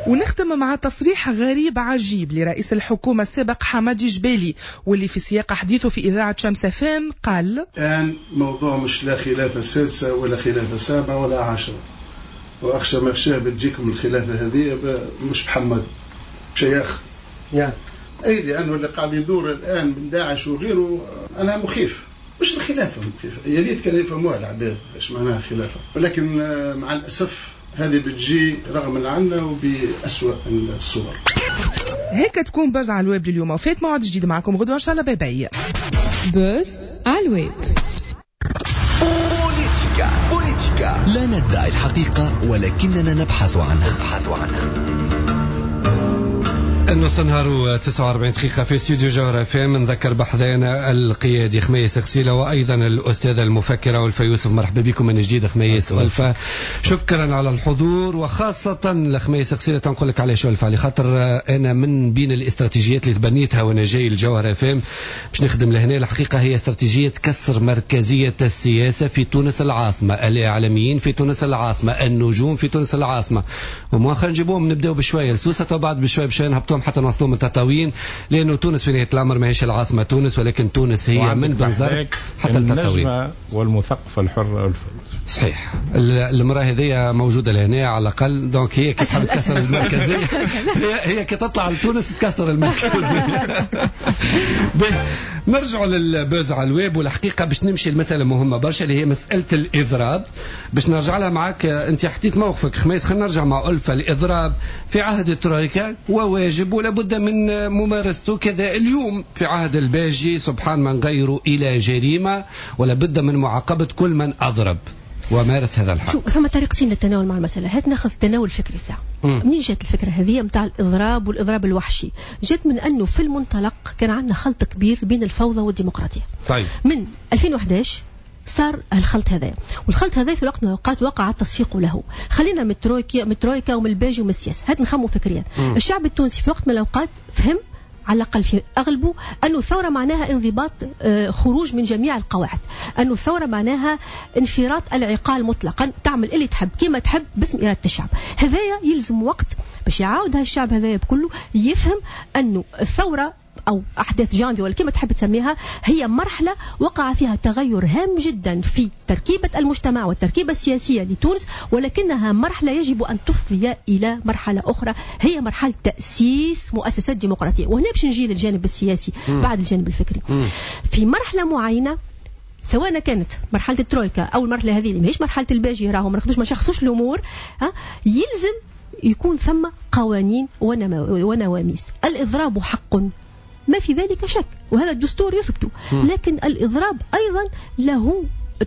Speaker 8: ونختم مع تصريح غريب عجيب لرئيس الحكومة السابق حمادي جبالي، واللي في سياق حديثه في إذاعة شمس أف أم قال:
Speaker 19: الآن موضوع مش لا خلافة سادسة ولا خلافة سابعة ولا عشرة، وأخشى ما أخشاه بتجيكم الخلافة هذه مش بحمد شيخ يعني. أي لأنه اللي قاعد يدور الآن من داعش وغيره أنا مخيف، مش الخلافة مخيفة، يا ريت كانوا يفهموها العباد ايش معناها خلافة، ولكن مع الأسف هذه بتجي رغم عنا وبأسوأ الصور.
Speaker 8: هيك تكون Buzz على الويب لليوم، وفات موعد جديد معكم غدوة إن شاء الله. bye bye.
Speaker 2: Buzz على الويب.
Speaker 1: بوليتيكا بوليتيكا، لا ندعي الحقيقة ولكننا نبحث عنها، نبحث عنها.
Speaker 3: النص نهار 49 دقيقة في استوديو جوهرة أف أم. نذكر بحذانا القيادي خميس غسيلة وأيضا الأستاذة المفكرة ألفة يوسف. مرحبا بكم من جديد خميس ألفة، شكرا على الحضور، وخاصة لخميس غسيلة تنقول لك علاش ألفة، على خاطر أنا من بين الاستراتيجيات اللي تبنيتها وأنا جاي الجوهرة أف أم باش نخدم لهنا، الحقيقة هي استراتيجية كسر مركزية السياسة في تونس العاصمة، الإعلاميين في تونس العاصمة، النجوم في تونس العاصمة، ومؤخرا نجيبوهم نبداو بشوية لسوسة وبعد بشوية بشوية نهبطوهم حتى نوصلوهم لتطاوين، لأنه تونس في نهاية الأمر ماهيش العاصمة تونس، ولكن تونس هي من بنزرت حتى التطاوين.
Speaker 5: النجمة والمثقفة الحرة ألفة.
Speaker 3: صحيح، المرأة هذه موجودة لهنا على الأقل، donc هي كي تحب تكسر المركزية، هي كي تطلع لتونس تكسر المركزية. نرجع لل Buzz على الويب، والحقيقة باش نمشي لمسألة مهمة برشا اللي هي مسألة الإضراب، باش نرجع لها معك. أنت حكيت موقفك خميس، خلينا نرجع مع ألفة. الإضراب في عهد الترويكا وواجب ولا بد من ممارسته كذا، اليوم في عهد الباجي سبحان من غيره إلى جريمة ولا بد من معاقبة كل من أضرب ومارس هذا الحق.
Speaker 7: شو ثم طريقتين للتناول مع المسألة، هات ناخذ التناول الفكري ساعة. منين جات الفكرة هذه نتاع الإضراب والإضراب الوحشي؟ جات من أنه في المنطلق كان عندنا خلط كبير بين الفوضى والديمقراطية. من 2011 صار الخلط هذا، والخلط هذا في وقت من الأوقات وقع التصفيق له. خلينا من الترويكا، من الترويكا ومن الباجي ومن السياسة، هات نخمو فكريا. الشعب التونسي في وقت من الأوقات فهم على الأقل في أغلبه، أنه الثورة معناها انضباط، خروج من جميع القواعد، أنه الثورة معناها انفراط العقال مطلقا، تعمل اللي تحب كما تحب باسم إرادة الشعب. هذايا يلزم وقت باش يعاود هالشعب هذايا بكله يفهم أنه الثورة أو أحداث جانفي ولا كما تحب تسميها هي مرحلة وقع فيها تغير هام جدا في تركيبة المجتمع والتركيبة السياسية لتونس، ولكنها مرحلة يجب أن تفضي إلى مرحلة أخرى هي مرحلة تأسيس مؤسسات ديمقراطية. وهنا باش نجي للجانب السياسي بعد الجانب الفكري. في مرحلة معينة سواء كانت مرحلة الترويكا أو المرحلة هذه اللي ماهيش مرحلة الباجي، راهو ما ناخذوش ما نشخصوش الأمور، يلزم يكون ثم قوانين ونواميس. الإضراب حق ما في ذلك شك، وهذا الدستور يثبته، لكن الإضراب أيضا له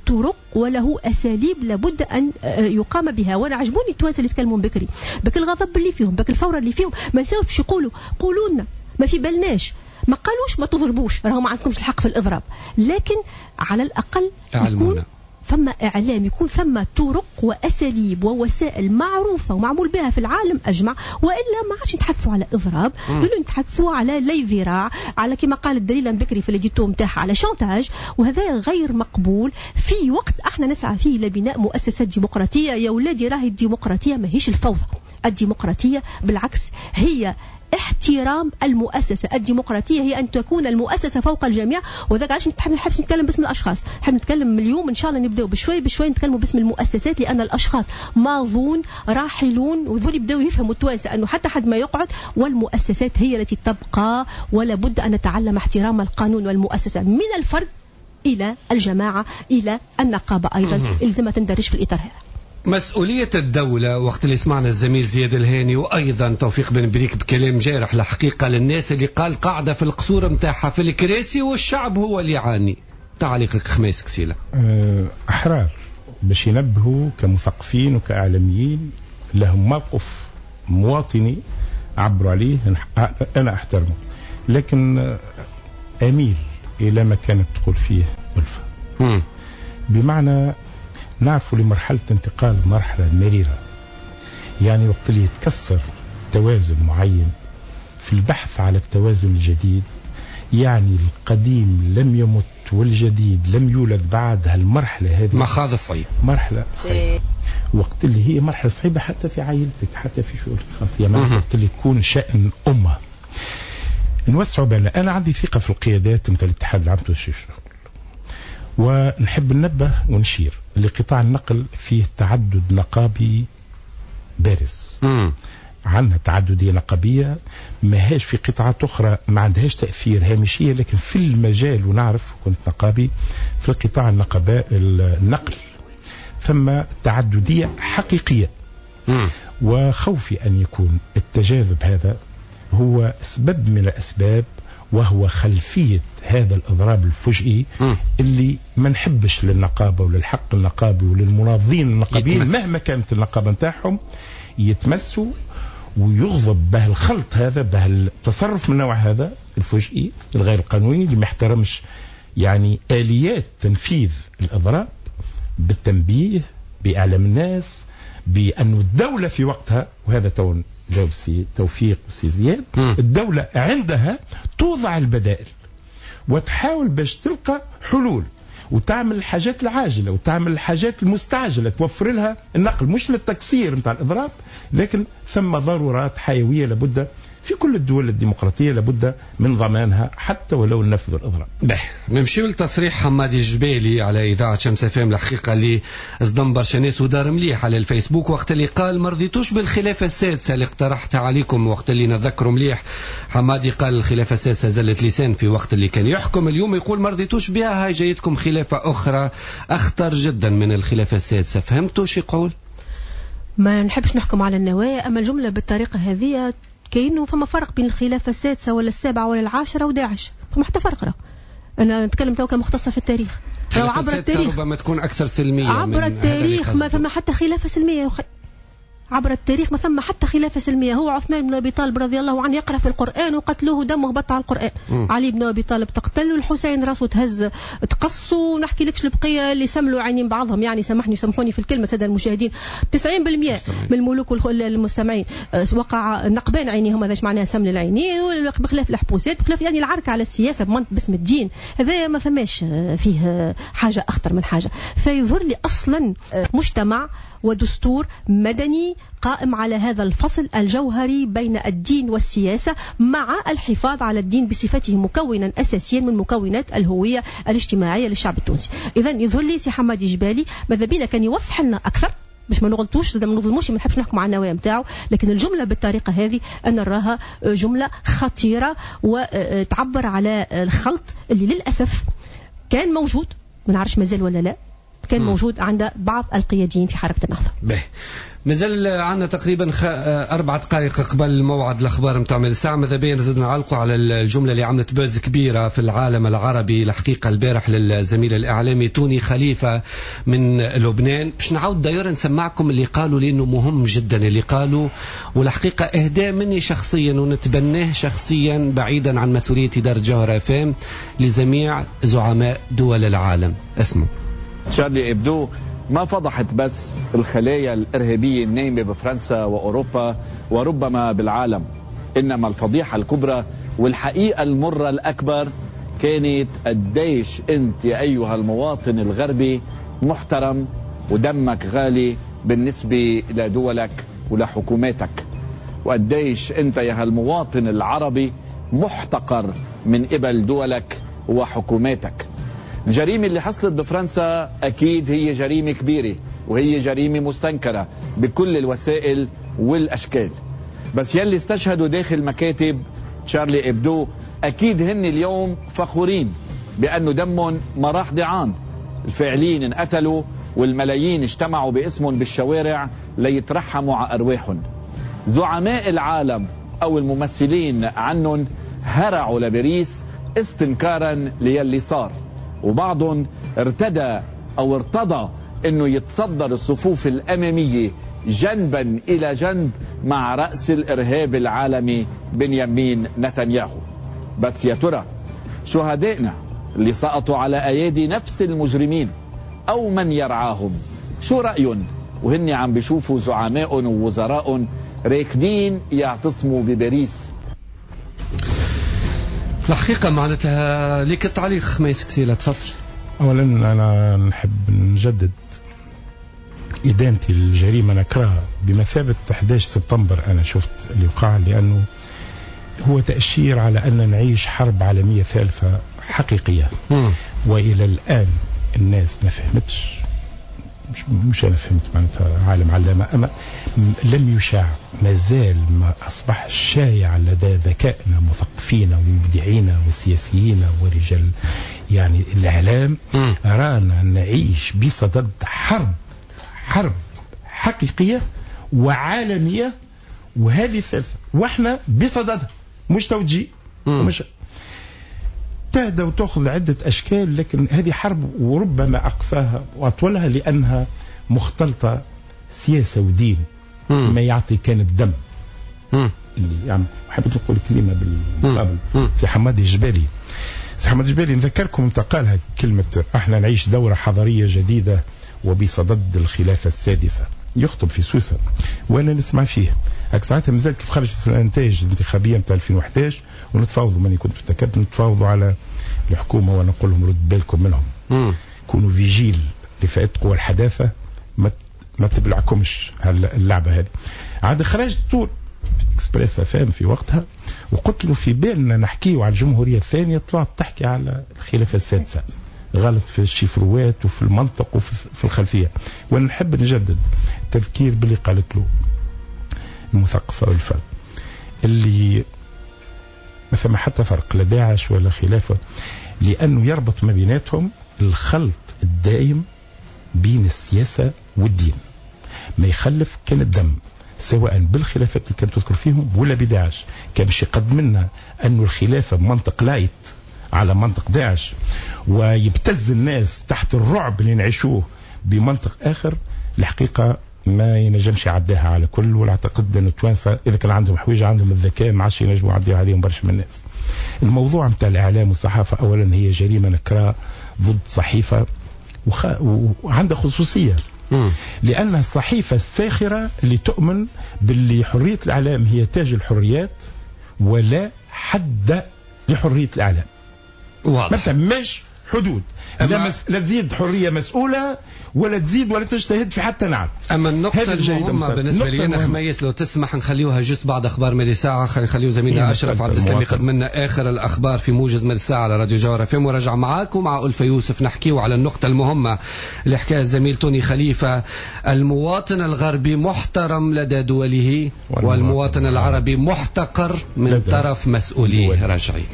Speaker 7: طرق وله أساليب لابد أن يقام بها. وأنا عجبوني التوانسة اللي تكلموا بكري بك الغضب اللي فيهم، بك الفورة اللي فيهم، ما نساوش باش يقولوا قولوا لنا ما في بالناش، ما قالوش ما تضربوش، راهو ما عندكمش الحق في الإضراب، لكن على الأقل يكون ثم إعلام، يكون ثم طرق وأساليب ووسائل معروفة ومعمول بها في العالم أجمع، وإلا ما عادش نتحدثوا على إضراب، نتحدثوا على لي ذراع، على كما قال الدليل بكري في l'édito نتاعها على chantage، وهذا غير مقبول في وقت احنا نسعى فيه لبناء مؤسسات ديمقراطية. يا ولادي راهي الديمقراطية ماهيش الفوضى، الديمقراطية بالعكس هي احترام المؤسسة. الديمقراطية هي أن تكون المؤسسة فوق الجميع، وذاك علاش ما نحبش نتكلم باسم الأشخاص، نحب نتكلم اليوم إن شاء الله نبداو بشوي بشوي نتكلموا باسم المؤسسات، لأن الأشخاص ماضون راحلون، وذول يبداو يفهموا التوانسة أنه حتى حد ما يقعد، والمؤسسات هي التي تبقى، ولا بد أن نتعلم احترام القانون والمؤسسة من الفرد إلى الجماعة إلى النقابة أيضا، إلزمها تندرج في الإطار هذا.
Speaker 3: مسؤولية الدولة وقت اللي سمعنا الزميل زياد الهاني وأيضا توفيق بن بريك بكلام جارح الحقيقة للناس اللي قال قاعدة في القصور متاعها في الكراسي والشعب هو اللي يعاني. تعليقك خميس كسيلة.
Speaker 5: أحرار باش ينبهوا كمثقفين وكإعلاميين لهم موقف مواطني عبروا عليه، أنا أحترمه، لكن أميل إلى ما كانت تقول فيه ألفة. بمعنى نعرف لمرحلة انتقال مرحلة مريرة، يعني وقت اللي يتكسر توازن معين في البحث على التوازن الجديد، يعني القديم لم يمت والجديد لم يولد بعد. هالمرحلة هذه
Speaker 3: مخاض صعيب،
Speaker 5: مرحلة صعيبة، وقت اللي هي مرحلة صعيبة حتى في عائلتك، حتى في شؤونك الخاصة، يعني وقت اللي يكون شأن أمة. نوسعوا بالنا. أنا عندي ثقة في القيادات مثل الاتحاد العام التونسي للشغل، ونحب ننبه ونشير لقطاع النقل فيه تعدد نقابي بارز. عندنا تعددية نقابية ماهاش في قطاعات أخرى، ما عندهاش تأثير هامشية، لكن في المجال، ونعرف كنت نقابي في القطاع النقل ثم تعددية حقيقية. وخوفي أن يكون التجاذب هذا هو سبب من الأسباب، وهو خلفية هذا الإضراب الفجئي اللي ما نحبش للنقابة وللحق النقابي وللمناضلين النقابيين مهما كانت النقابة نتاعهم يتمسوا ويغضب به الخلط هذا، به التصرف من النوع هذا الفجئي الغير القانوني اللي ما يحترمش يعني آليات تنفيذ الإضراب بالتنبيه، بإعلام الناس، بأن الدولة في وقتها، وهذا تون جاوب سي توفيق وسي زياد، الدولة عندها توضع البدائل وتحاول باش تلقى حلول وتعمل الحاجات العاجلة وتعمل الحاجات المستعجلة، توفر لها النقل مش للتكسير نتاع الإضراب، لكن ثم ضرورات حيوية لابد في كل الدول الديمقراطية لابد من ضمانها حتى ولو نفذوا الإضراب.
Speaker 3: نمشيو لتصريح حمادي الجبالي على إذاعة شمس FM، الحقيقة اللي صدم برشا ناس ودار مليح على الفيسبوك وقت اللي قال ما رضيتوش بالخلافة السادسة اللي اقترحتها عليكم. وقت اللي نذكروا مليح حمادي قال الخلافة السادسة زلت لسان في وقت اللي كان يحكم، اليوم يقول ما رضيتوش بها، هاي جايتكم خلافة أخرى أخطر جدا من الخلافة السادسة. فهمتوا شو يقول؟
Speaker 7: ما نحبش نحكم على النوايا، أما الجملة بالطريقة هذه كأنه فما فرق بين الخلافة السادسة ولا السابعة ولا العاشرة وداعش، فما حتى فرق. راه أنا نتكلم تو كمختصة في التاريخ،
Speaker 3: عبر التاريخ ربما تكون أكثر سلمية،
Speaker 7: عبر التاريخ ما فما حتى خلافة سلمية. عبر التاريخ ما ثم حتى خلافة سلمية. هو عثمان بن أبي طالب رضي الله عنه يقرأ في القرآن وقتلوه دمه هبط على القرآن. علي بن أبي طالب تقتل، والحسين راسه تهز تقص، ونحكي لكش البقية اللي سملوا عينين بعضهم. يعني سامحني سامحوني في الكلمة سادة المشاهدين، 90% من الملوك المستمعين وقع نقبان عينيهم، هذا معناها سمل العينين، بخلاف الحبوسات، بخلاف يعني العركة على السياسة باسم الدين، هذا ما ثماش فيه حاجة أخطر من حاجة. فيظهر لي أصلا مجتمع ودستور مدني قائم على هذا الفصل الجوهري بين الدين والسياسة، مع الحفاظ على الدين بصفته مكونا أساسيا من مكونات الهوية الاجتماعية للشعب التونسي. إذا يظهر لي سي حمادي جبالي ماذا بينا كان يوضح لنا أكثر باش ما نغلطوش، ما نظلموش، ما نحبش نحكم على النوايا نتاعو، لكن الجملة بالطريقة هذه أنا نراها جملة خطيرة وتعبر على الخلط اللي للأسف كان موجود، ما نعرفش مازال ولا لا، كان موجود عند بعض القياديين في حركة النهضة.
Speaker 3: به مازال عندنا تقريبا 4 دقائق قبل موعد الأخبار نتاع الساعة. ماذا بينا نزيد نعلقوا على الجملة اللي عملت buzz كبيرة في العالم العربي الحقيقة البارح للزميل الإعلامي توني خليفة من لبنان. باش نعاود داير نسمعكم اللي قالوا، لأنه مهم جدا اللي قالوا، والحقيقة إهداء مني شخصيا ونتبناه شخصيا بعيدا عن مسؤولية إدارة جوهرة FM لجميع زعماء دول العالم. اسمه
Speaker 17: شارلي إبدو ما فضحت بس الخلايا الإرهابية النايمة بفرنسا وأوروبا وربما بالعالم، إنما الفضيحة الكبرى والحقيقة المرة الأكبر كانت قديش أنت يا أيها المواطن الغربي محترم ودمك غالي بالنسبة لدولك ولحكوماتك، وقديش أنت يا هالمواطن العربي محتقر من قبل دولك وحكوماتك. الجريمة اللي حصلت بفرنسا أكيد هي جريمة كبيرة وهي جريمة مستنكرة بكل الوسائل والأشكال، بس يلي استشهدوا داخل مكاتب شارلي إبدو أكيد هن اليوم فخورين بأنه دمهم ما راح ضيعان، الفاعلين انقتلوا والملايين اجتمعوا باسمهم بالشوارع ليترحموا على أرواحهم. زعماء العالم أو الممثلين عنهم هرعوا لباريس استنكارا ليلي صار، وبعضهم ارتدى أو ارتضى أنه يتصدر الصفوف الأمامية جنبا إلى جنب مع رأس الإرهاب العالمي بنيامين نتنياهو. بس يا ترى شهدائنا اللي سقطوا على أيادي نفس المجرمين أو من يرعاهم شو رأيهم وهن عم بيشوفوا زعماء ووزراء راكدين يعتصموا بباريس؟
Speaker 3: الحقيقة معناتها لك التعليق ما يسكسيلة، تفضل.
Speaker 5: أولا أنا نحب نجدد إدانتي للجريمة، نكرهها بمثابة 11 سبتمبر. أنا شفت اللي وقع، لأنه هو تأشير على أن نعيش حرب عالمية ثالثة حقيقية. وإلى الآن الناس ما فهمتش، مش أنا فهمت معناتها عالم علامة، أما لم يشاع، ما زال ما أصبح شايع لدى ذكائنا مثقفين ومبدعين وسياسيين ورجال يعني الإعلام. رانا نعيش بصدد حرب حقيقية وعالمية، وهذه الثالثة واحنا بصددها، مش توجيه مش تهدى وتأخذ عدة أشكال، لكن هذه حرب وربما أقصاها وأطولها لأنها مختلطة سياسة ودين. ما يعطي كان الدم. اللي يعني حبيت نقول كلمة بالمقابل. سي حمادي الجبالي، سي حمادي الجبالي نذكركم انت قالها كلمة احنا نعيش دورة حضارية جديدة وبصدد الخلافة السادسة، يخطب في سوسة وانا نسمع فيه. هاك ساعتها مازال كيف خرجت الانتاج الانتخابية نتاع 2011 ونتفاوضوا، ماني كنت في التكتل، نتفاوضوا على الحكومة وانا نقول لهم رد بالكم منهم، كونوا vigiles لفئات قوى الحداثة، ما تبلعكمش اللعبة هذه. عاد خرجت طول Express FM في وقتها وقلت له في بالنا نحكيو على الجمهورية الثانية، طلعت تحكي على الخلافة السادسة، غلط في الشفروات وفي المنطق وفي الخلفية. وانا نحب نجدد التذكير باللي قالت له المثقفه والفرد، اللي ما ثم حتى فرق لا داعش ولا خلافه، لانه يربط ما بيناتهم الخلط الدائم بين السياسة والدين، ما يخلف كان الدم، سواء بالخلافات اللي كانت تذكر فيهم ولا بداعش. كان مش يقدم لنا انه الخلافة بمنطق light على منطق داعش ويبتز الناس تحت الرعب اللي نعيشوه بمنطق آخر. الحقيقة ما ينجمش يعديها على كل، ولا اعتقد ان التوانسة اذا كان عندهم حويجه عندهم الذكاء ما عادش ينجموا يعديوا عليهم برشا من الناس. الموضوع نتاع الاعلام والصحافة اولا هي جريمة نكراء ضد صحيفة وعندها خصوصية. لأن الصحيفة الساخرة اللي تؤمن باللي حرية الإعلام هي تاج الحريات ولا حد لحرية الإعلام.
Speaker 3: واضح.
Speaker 5: ما ثماش حدود، لا تزيد حرية مسؤولة ولا تزيد ولا تجتهد في حتى نعم.
Speaker 3: أما النقطة المهمة بالنسبة لي أنا خميس لو تسمح نخليوها juste بعد أخبار مالي ساعة، نخليو زميلنا أشرف عبد السلام يقدم لنا آخر الأخبار في موجز مالي ساعة على راديو جوهرة FM، ورجع معاكم مع ألفة يوسف نحكيو على النقطة المهمة اللي حكاها الزميل توني خليفة. المواطن الغربي محترم لدى دوله والمواطن العربي محتقر من طرف مسؤولية. راجعين.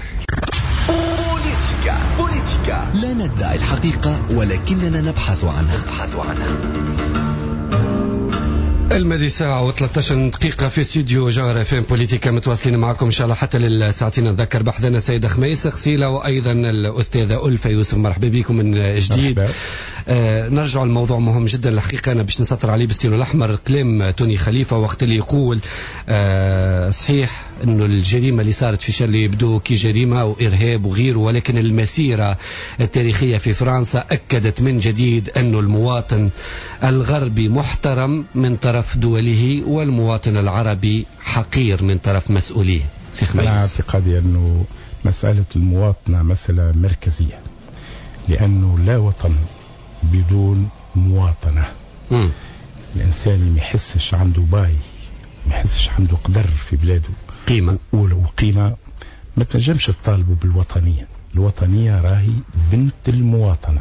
Speaker 1: بوليتيكا لا ندعي الحقيقة ولكننا نبحث عنها.
Speaker 3: الماضي ساعة و13 دقيقة في استوديو جوهرة FM بوليتيكا، متواصلين معكم إن شاء الله حتى للساعتين. نتذكر بحثنا سيد خميس خسيلة وأيضا الأستاذة ألفة يوسف، مرحبا بكم من جديد. نرجع الموضوع مهم جدا الحقيقة، أنا باش نسطر عليه بالستيلو الأحمر كلام توني خليفة وقت اللي يقول صحيح أنه الجريمة اللي صارت في شارلي يبدو كي جريمة وإرهاب وغيره، ولكن المسيرة التاريخية في فرنسا أكدت من جديد أنه المواطن الغربي محترم من طرف دوله والمواطن العربي حقير من طرف مسؤولية.
Speaker 5: أنا اعتقادي أنه مسألة المواطنة مسألة مركزية، لأنه لا وطن بدون مواطنة. الإنسان اللي ما يحسش عنده باي، ما يحسش عنده قدر في بلاده،
Speaker 3: قيمة
Speaker 5: وقيمة، ما تنجمش تطالبه بالوطنية. الوطنية راهي بنت المواطنة.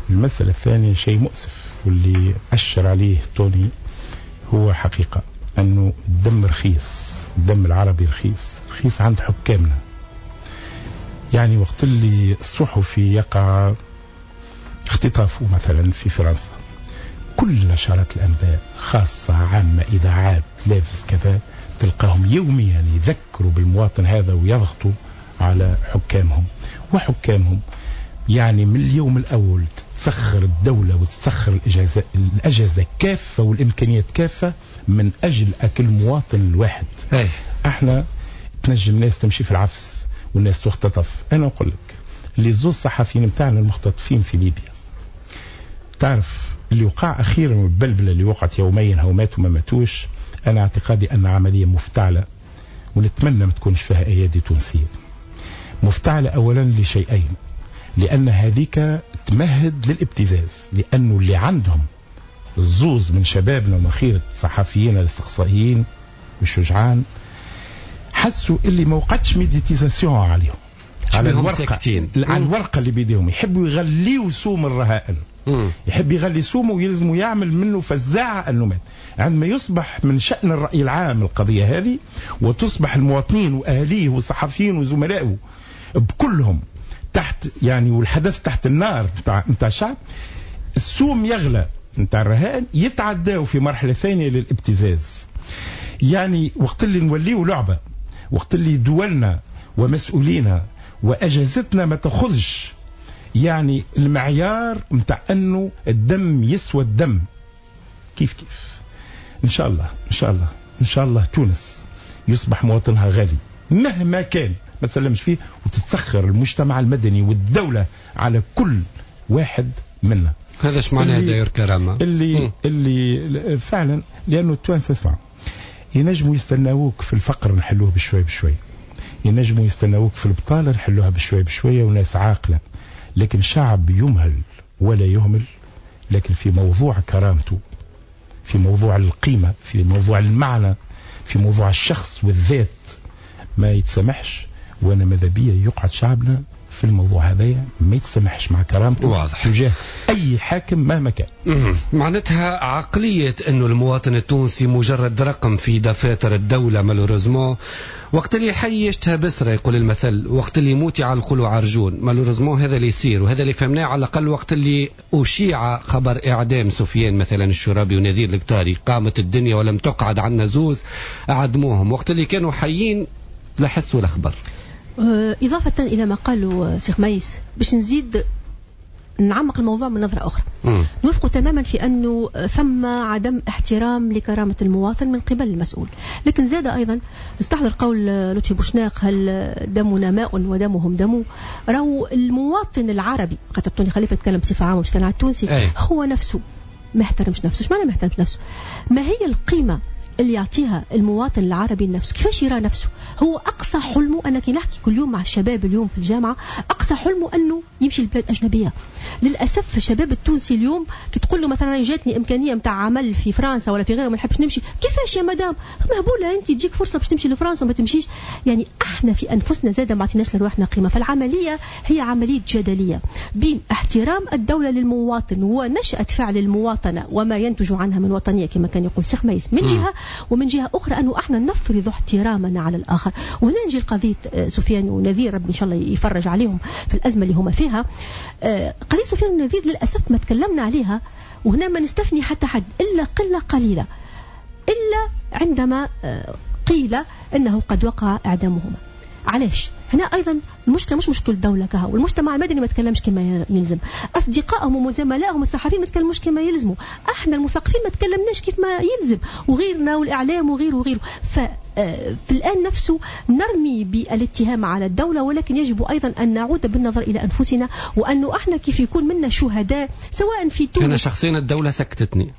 Speaker 5: المسألة الثانية شيء مؤسف واللي أشر عليه توني هو حقيقة، أنه الدم رخيص، الدم العربي رخيص، رخيص عند حكامنا. يعني وقت اللي الصحفي يقع اختطافه مثلا في فرنسا، كل نشرات الأنباء خاصة عامة إذاعات لافز كذا تلقاهم يوميا يذكروا بالمواطن هذا ويضغطوا على حكامهم، وحكامهم يعني من اليوم الأول تسخر الدولة وتسخر الأجهزة كافة والإمكانيات كافة من أجل أكل مواطن الواحد. احنا تنجم ناس تمشي في العفس والناس تختطف. أنا أقول لك اللي زوز صحفيين متاعنا المختطفين في ليبيا، تعرف اللي وقع أخيرا والبلبلة اللي وقعت يوميا هو ماتوا ما ماتوش، أنا اعتقادي أن عملية مفتعلة ونتمنى ما تكونش فيها أيادي تونسية. مفتعلة أولا لشيئين، لأن هذيك تمهد للابتزاز، لأنه اللي عندهم الزوز من شبابنا ومن خيرة صحفيين الاستقصائيين والشجعان حسوا اللي ما وقعتش médiatisation عليهم، على الورقة، على الورقة اللي بيديهم، يحبوا يغليوا سوم الرهائن، يحب يغلي سومه ويلزمه يعمل منه فزاعة أنه مات. عندما يصبح من شأن الرأي العام القضية هذه، وتصبح المواطنين وأهليه والصحفيين وزملائه بكلهم تحت يعني، والحدث تحت النار نتاع الشعب، السوم يغلى نتاع الرهائن، يتعداو في مرحلة ثانية للابتزاز. يعني وقت اللي نوليو لعبة، وقت اللي دولنا ومسؤولينا وأجهزتنا ما تأخذش يعني المعيار نتاع أنه الدم يسوى الدم، كيف كيف. إن شاء الله إن شاء الله إن شاء الله تونس يصبح مواطنها غالي مهما كان، ما تسلمش فيه، وتتسخر المجتمع المدني والدولة على كل واحد منا.
Speaker 3: هذا اش معناه داير كرامة
Speaker 5: اللي فعلا، لأنه التوانسة اسمع ينجموا يستناوك في الفقر نحلوه بشوي بشوي، ينجموا يستناوك في البطالة نحلوها بشوي بشوية، وناس عاقلة. لكن شعب يمهل ولا يهمل، لكن في موضوع كرامته، في موضوع القيمة، في موضوع المعنى، في موضوع الشخص والذات ما يتسمحش. وانا ماذا بيا يقعد شعبنا في الموضوع هذايا ما يتسمحش مع كرامته، واضح، تجاه اي حاكم مهما كان.
Speaker 3: معناتها عقلية انه المواطن التونسي مجرد رقم في دفاتر الدولة malheureusement، وقت اللي حي يشتهى بسرة يقول المثل، وقت اللي يموت يعلقوا عرجون. malheureusement هذا اللي يصير، وهذا اللي فهمناه على الاقل وقت اللي اشيع خبر اعدام سفيان مثلا الشرابي ونذير القطاري، قامت الدنيا ولم تقعد عنا زوز اعدموهم، وقت اللي كانوا حيين لا حس ولا خبر.
Speaker 7: إضافة إلى ما قاله سي خميس، باش نزيد نعمق الموضوع من نظرة أخرى. نوافق تماما في أنه ثم عدم احترام لكرامة المواطن من قبل المسؤول، لكن زاد أيضا نستحضر قول لطفي بوشناق: هل دمنا ماء ودمهم دم. راهو المواطن العربي، خاطر توني خليفة يتكلم بصفة عامة مش كان على التونسي، هو نفسه ما احترمش نفسه. ايش معنى ما احترمش نفسه؟ ما هي القيمة اللي يعطيها المواطن العربي لنفسه؟ كيفاش يرى نفسه؟ هو أقصى حلمه، أنا كي نحكي كل يوم مع الشباب اليوم في الجامعة، أقصى حلمه أنه يمشي لبلاد أجنبية. للأسف الشباب التونسي اليوم كي تقول له مثلا جاتني إمكانية متاع عمل في فرنسا ولا في غيره ما نحبش نمشي، كيفاش يا مدام؟ مهبولة أنت، تجيك فرصة باش تمشي لفرنسا وما تمشيش. يعني احنا في أنفسنا زادة ما عطيناش لروحنا قيمة. فالعملية هي عملية جدلية بين احترام الدولة للمواطن ونشأة فعل المواطنة وما ينتج عنها من وطنية كما كان يقول سي خميس من جهة، ومن جهة أخرى أنه احنا نفرض احترامنا على الآخر. وهنا نجي لقضية سفيان ونذير، ربي إن شاء الله يفرج عليهم في الأزمة اللي هما فيها. قضية سفيان ونذير للأسف ما تكلمنا عليها، وهنا ما نستثني حتى حد إلا قلة قليلة، إلا عندما قيل أنه قد وقع إعدامهما. علاش؟ هنا أيضا المشكلة مش مشكلة الدولة كها، والمجتمع المدني ما تكلمش كما يلزم، أصدقائهم وزملائهم الصحفيين ما تكلموش كما يلزموا، احنا المثقفين ما تكلمناش كيف ما يلزم، وغيرنا والإعلام وغيره وغيره. ففي الآن نفسه نرمي بالاتهام على الدولة، ولكن يجب أيضا أن نعود بالنظر إلى أنفسنا، وأنه احنا كيف يكون منا شهداء سواء في تونس.
Speaker 3: أنا شخصيا الدولة سكتتني،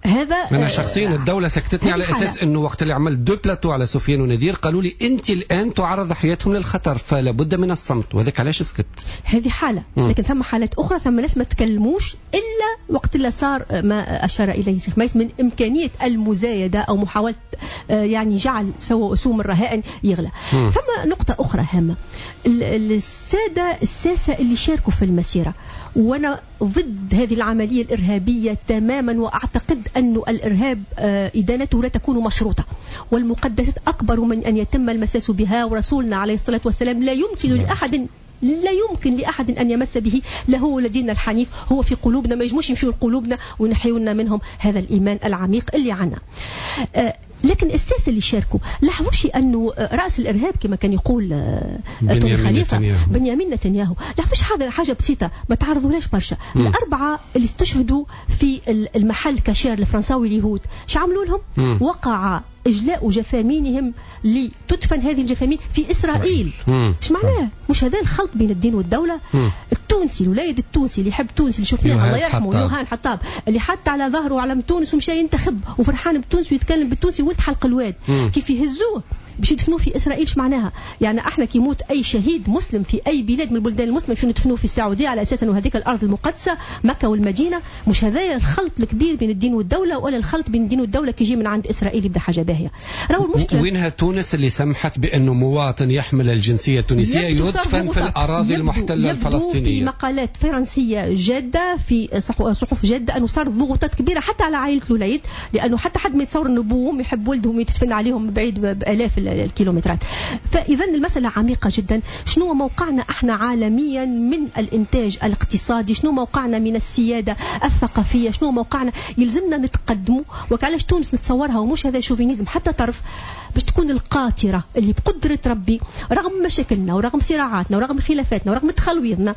Speaker 7: هذا
Speaker 3: أنا شخصيا الدولة سكتتني على أساس أنه وقت اللي عملت deux plateaux على سفيان ونذير قالوا لي أنت الآن تعرض حياتهم للخطر فلا بد من الصمت، وهذاك علاش سكت.
Speaker 7: هذه حالة، لكن ثم حالات أخرى، ثم ناس ما تكلموش إلا وقت اللي صار ما أشار إليه سي خميس من إمكانية المزايدة أو محاولة يعني جعل سوم الرهائن يغلى. ثم نقطة أخرى هامة، السادة الساسة اللي شاركوا في المسيرة، وأنا ضد هذه العملية الإرهابية تماما، وأعتقد أن الإرهاب إدانته لا تكون مشروطة، والمقدسات أكبر من أن يتم المساس بها، ورسولنا عليه الصلاة والسلام لا يمكن لأحد، لا يمكن لأحد أن يمس به، له لدينا الحنيف، هو في قلوبنا، ما يجموش يمشوا لقلوبنا ونحيونا منهم هذا الإيمان العميق اللي عنا. لكن الساسة اللي شاركوا لاحظوش أنه رأس الإرهاب كما كان يقول توني خليفة بنيامين نتنياهو، لاحظوش حاجة بسيطة ما تعرضولاش برشا. الأربعة اللي استشهدوا في المحل كاشير الفرنساوي اليهود، اش عملوا لهم؟ وقع إجلاء جثامينهم لتدفن هذه الجثامين في إسرائيل. ايش معناه؟ مش هذا الخلط بين الدين والدولة؟ التونسي، الوليد التونسي اللي يحب تونس، اللي شفناه الله يرحمه يوهان حطاب، اللي حط على ظهره علم تونس ومشى ينتخب وفرحان بتونس ويتكلم بالتونسي ولد حلق الواد، كيف يهزوه باش يدفنوه في اسرائيل؟ ايش معناها؟ يعني احنا كي يموت اي شهيد مسلم في اي بلاد من البلدان المسلمة شو ندفنوه في السعودية على اساس انه هذيك الارض المقدسة مكة والمدينة؟ مش هذايا الخلط الكبير بين الدين والدولة؟ ولا الخلط بين الدين والدولة كي يجي من عند اسرائيل يبدا حاجة باهيه. راهو المشكلة
Speaker 3: وينها تونس اللي سمحت بانه مواطن يحمل الجنسية التونسية يدفن في الاراضي المحتلة الفلسطينية؟
Speaker 7: في مقالات فرنسية جاده في صحف جاده انه صار ضغوطات كبيرة حتى على عائلة الوليد، لانه حتى حد ما يتصور انه بوهم يحب ولدهم يدفن عليهم بعيد بالاف الكيلومترات. فإذا المسألة عميقة جدا. شنو موقعنا احنا عالميا من الإنتاج الاقتصادي؟ شنو موقعنا من السيادة الثقافية؟ شنو موقعنا؟ يلزمنا نتقدموا. وكعلاش تونس نتصورها ومش هذا chauvinisme حتى طرف، باش تكون القاطرة اللي بقدرة ربي رغم مشاكلنا ورغم صراعاتنا ورغم خلافاتنا ورغم تخلويضنا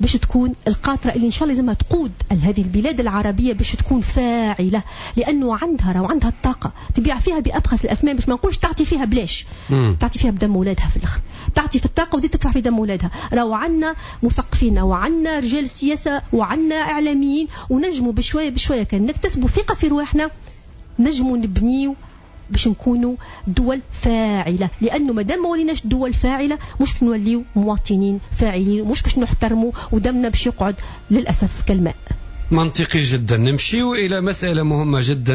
Speaker 7: باش تكون القاطرة اللي إن شاء الله لازمها تقود هذه البلاد العربية باش تكون فاعلة، لأنه عندها وعندها الطاقة تبيع فيها بأبخس الأثمان، باش ما نقولش تعطي فيها بلاش، تعطي فيها بدم ولادها في الآخر، تعطي في الطاقة وتزيد تدفع في دم ولادها. راهو عندنا مثقفين وعندنا رجال سياسة وعندنا إعلاميين، ونجموا بشوية بشوية كان نكتسبوا ثقة في رواحنا نجموا نبنيو باش نكونوا دول فاعلة، لأنه مادام ما وليناش دول فاعلة مش باش نوليو مواطنين فاعلين، مش باش نحترموا ودمنا باش يقعد للأسف كالماء.
Speaker 3: منطقي جدا. نمشيو إلى مسألة مهمة جدا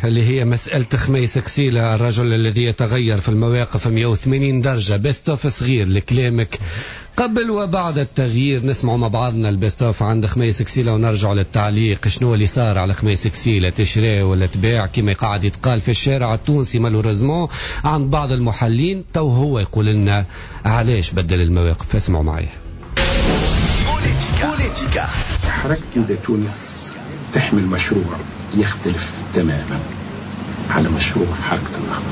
Speaker 3: اللي هي مسألة خميس كسيلة، الرجل الذي يتغير في المواقف 180 درجة. best of صغير لكلامك قبل وبعد التغيير، نسمع مع بعضنا ال best of عند خميس كسيلة ونرجع للتعليق. شنو اللي صار على خميس كسيلة؟ تشري ولا تباع كما قاعد يتقال في الشارع التونسي malheureusement عند بعض المحللين؟ تو هو يقول لنا علاش بدل المواقف. اسمعوا معي.
Speaker 1: بوليتيكا.
Speaker 20: حركة نداء تونس تحمل مشروع يختلف تماما على مشروع حركة النهضة.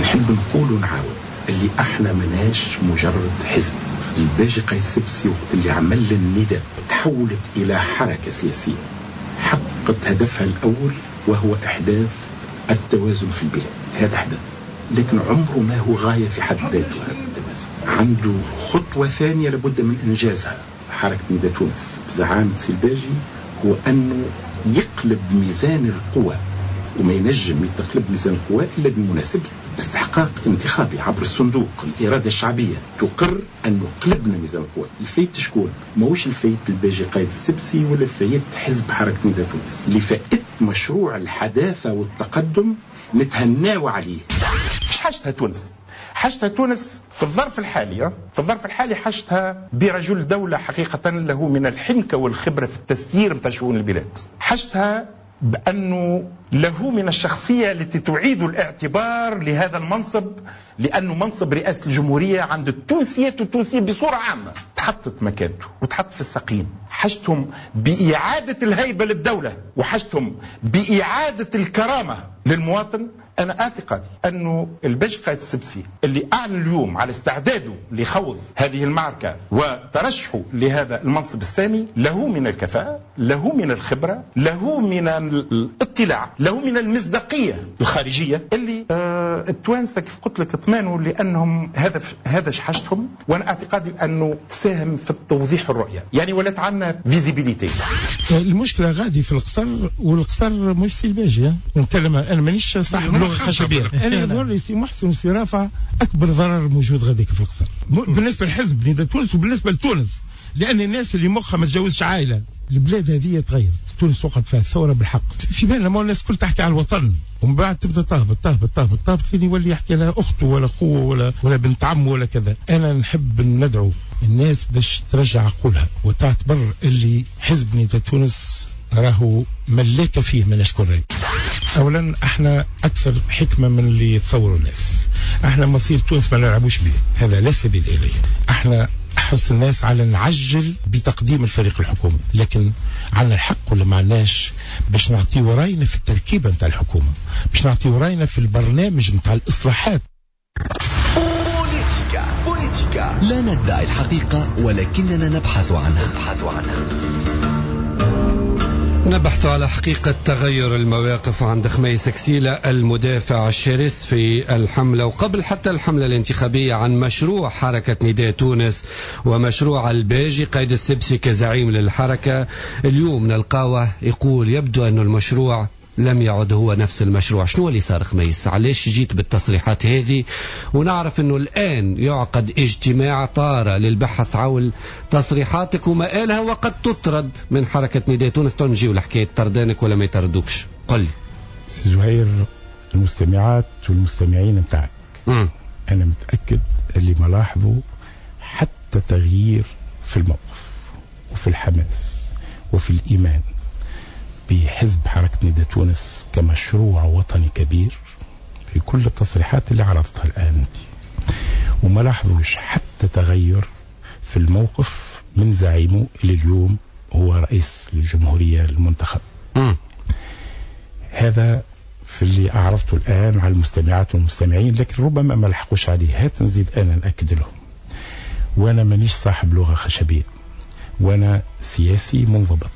Speaker 20: نحب نقول ونعاود اللي احنا مناش مجرد حزب، الباجي قايد السبسي وقت اللي عمل النداء تحولت إلى حركة سياسية حققت هدفها الأول وهو إحداث التوازن في البلاد. هذا حدث، لكن عمره ما هو غاية في حد ذاته. هذا التوازن عنده خطوة ثانية لابد من إنجازها. حركة نداء تونس بزعامة سي الباجي هو أنه يقلب ميزان القوى، وما ينجم يتقلب ميزان القوى إلا بمناسبة استحقاق انتخابي عبر الصندوق. الإرادة الشعبية تقر أنه قلبنا ميزان القوى. الفايت شكون؟ ماهوش الفايت الباجي قايد السبسي ولا فايت حزب حركة نداء تونس. اللي فائت مشروع الحداثة والتقدم نتهناو عليه.
Speaker 5: حاجتها تونس، حاجتها تونس في الظرف الحالي، في الظرف الحالي حاجتها برجل دولة حقيقة له من الحنكة والخبرة في التسيير نتاع شؤون البلاد. حاجتها بأنه له من الشخصية التي تعيد الاعتبار لهذا المنصب، لأنه منصب رئاسة الجمهورية عند التونسيات والتونسيين بصورة عامة تحطت مكانته وتحط في السقيم. حاجتهم بإعادة الهيبة للدولة، وحاجتهم بإعادة الكرامة للمواطن. أنا اعتقادي أنه الباجي قايد السبسي اللي أعلن اليوم على استعداده لخوض هذه المعركة وترشحه لهذا المنصب السامي له من الكفاءة، له من الخبرة، له من الاطلاع، له من المصداقية الخارجية اللي التوانسة كيف قلت لك اطمانوا لأنهم هذا حاجتهم. وأنا اعتقادي أنه ساهم في التوضيح الرؤية، يعني ولات عندنا visibilité.
Speaker 19: المشكلة غادي في القصر، والقصر مش سي الباجي. نتكلم أنا مانيش صاحب لغة خشبية. أنا يظهر لي سي محسن وسي رافع أكبر ضرر موجود غاديك في القصر بالنسبة لحزب نداء تونس وبالنسبة لتونس، لأن الناس اللي مخها ما تجاوزش عائلة. البلاد هذه تغيرت، تونس وقعت فيها الثورة بالحق. في بالنا ما الناس الكل تحكي على الوطن، ومن بعد تبدا تهبط تهبط تهبط تهبط لين يولي يحكي لها أخته ولا أخوه ولا بنت عمه ولا كذا. أنا نحب ندعو الناس باش ترجع عقولها وتعتبر اللي حزب نداء تونس راهو ملاك فيه من أشكر. أولا احنا أكثر حكمة من اللي يتصوروا الناس. احنا مصير تونس ما نلعبوش به، هذا لا سبيل إليه. احنا أحرص الناس على نعجل بتقديم الفريق الحكومي، لكن عندنا الحق ولا ما عندناش باش نعطيو راينا في التركيبة نتاع الحكومة، باش نعطيو راينا في البرنامج نتاع الإصلاحات.
Speaker 1: بوليتيكا بوليتيكا، لا ندعي الحقيقة ولكننا نبحث عنها.
Speaker 3: نبحث على حقيقة تغير المواقف عند خميس كسيلة المدافع الشرس في الحملة وقبل حتى الحملة الانتخابية عن مشروع حركة نداء تونس ومشروع الباجي قايد السبسي كزعيم للحركة. اليوم نلقاوه يقول يبدو أن المشروع لم يعد هو نفس المشروع. شنو اللي صار خميس؟ علاش جيت بالتصريحات هذه؟ ونعرف أنه الآن يعقد اجتماع طارئ للبحث حول تصريحاتك ومآلها وقد تطرد من حركة نداء تونس. تنجيو لحكاية طردانك ولا ما يطردوكش؟ قل لي
Speaker 5: سي زهير، المستمعات والمستمعين نتاعك أنا متأكد اللي ما لاحظوا حتى تغيير في الموقف وفي الحماس وفي الإيمان بحزب حركة نداء تونس كمشروع وطني كبير في كل التصريحات اللي عرضتها الآن أنت، وما لاحظوش حتى تغير في الموقف من زعيمه اللي اليوم هو رئيس الجمهورية المنتخب. هذا في اللي أعرضته الآن على المستمعات والمستمعين، لكن ربما ما لحقوش عليه. هات نزيد أنا نأكد لهم، وأنا مانيش صاحب لغة خشبية، وأنا سياسي منضبط،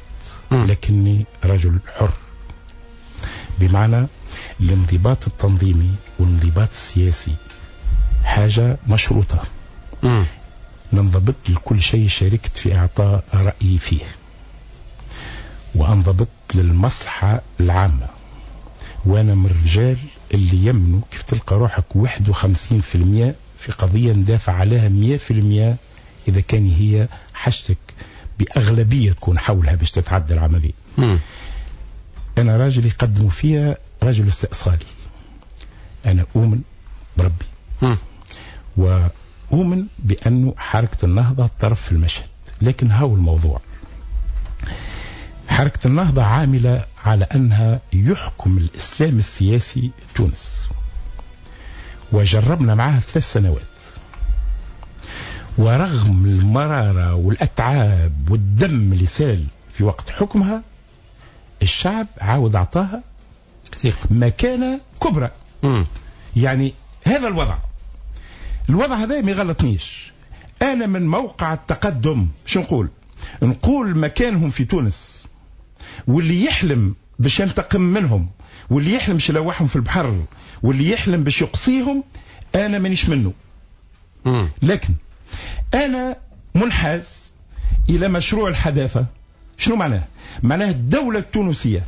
Speaker 5: لكني رجل حر، بمعنى الانضباط التنظيمي والانضباط السياسي حاجة مشروطة. ننضبط لكل شيء شاركت في إعطاء رأيي فيه، وأنضبط للمصلحة العامة. وأنا من الرجال اللي يمنوا كيف تلقى روحك 51% في قضية ندافع عليها 100% إذا كان هي حاجتك بأغلبية تكون حولها باش تتعدى العملية. أنا راجل يقدموا فيها رجل استئصالي. أنا أؤمن بربي، وأؤمن بأنه حركة النهضة طرف في المشهد. لكن هاو الموضوع، حركة النهضة عاملة على أنها يحكم الإسلام السياسي تونس، وجربنا معها 3 سنوات، ورغم المرارة والأتعاب والدم اللي سال في وقت حكمها، الشعب عاود أعطاها مكانة كبرى. يعني هذا الوضع، الوضع هذا ما يغلطنيش. انا من موقع التقدم شو نقول؟ نقول مكانهم في تونس، واللي يحلم باش ينتقم منهم، واللي يحلم باش يلوحهم في البحر، واللي يحلم باش يقصيهم، انا مانيش منه. لكن انا منحاز الى مشروع الحداثة. شنو معناه؟ معناه الدولة التونسية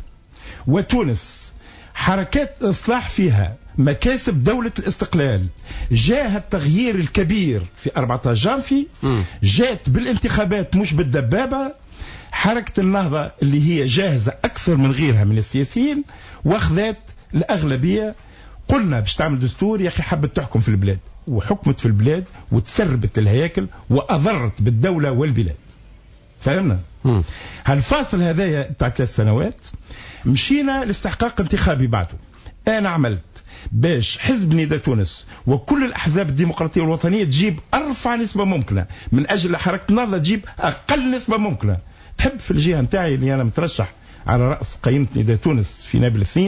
Speaker 5: وتونس حركات اصلاح فيها مكاسب دولة الاستقلال، جاء التغيير الكبير في 14 جانفي، جات بالانتخابات مش بالدبابة. حركة النهضة اللي هي جاهزة أكثر من غيرها من السياسيين واخذت الأغلبية. قلنا باش تعمل دستور يا أخي، حبت تحكم في البلاد، وحكمت في البلاد وتسربت الهياكل وأضرت بالدولة والبلاد. فهمنا؟ هالفاصل هذايا تاع 3 سنوات مشينا لاستحقاق انتخابي بعده. أنا عملت باش حزب نداء تونس وكل الأحزاب الديمقراطية والوطنية تجيب أرفع نسبة ممكنة، من أجل حركة النهضة تجيب أقل نسبة ممكنة. تحب في الجهة نتاعي اللي أنا مترشح على رأس قائمة نداء تونس في نابل 2،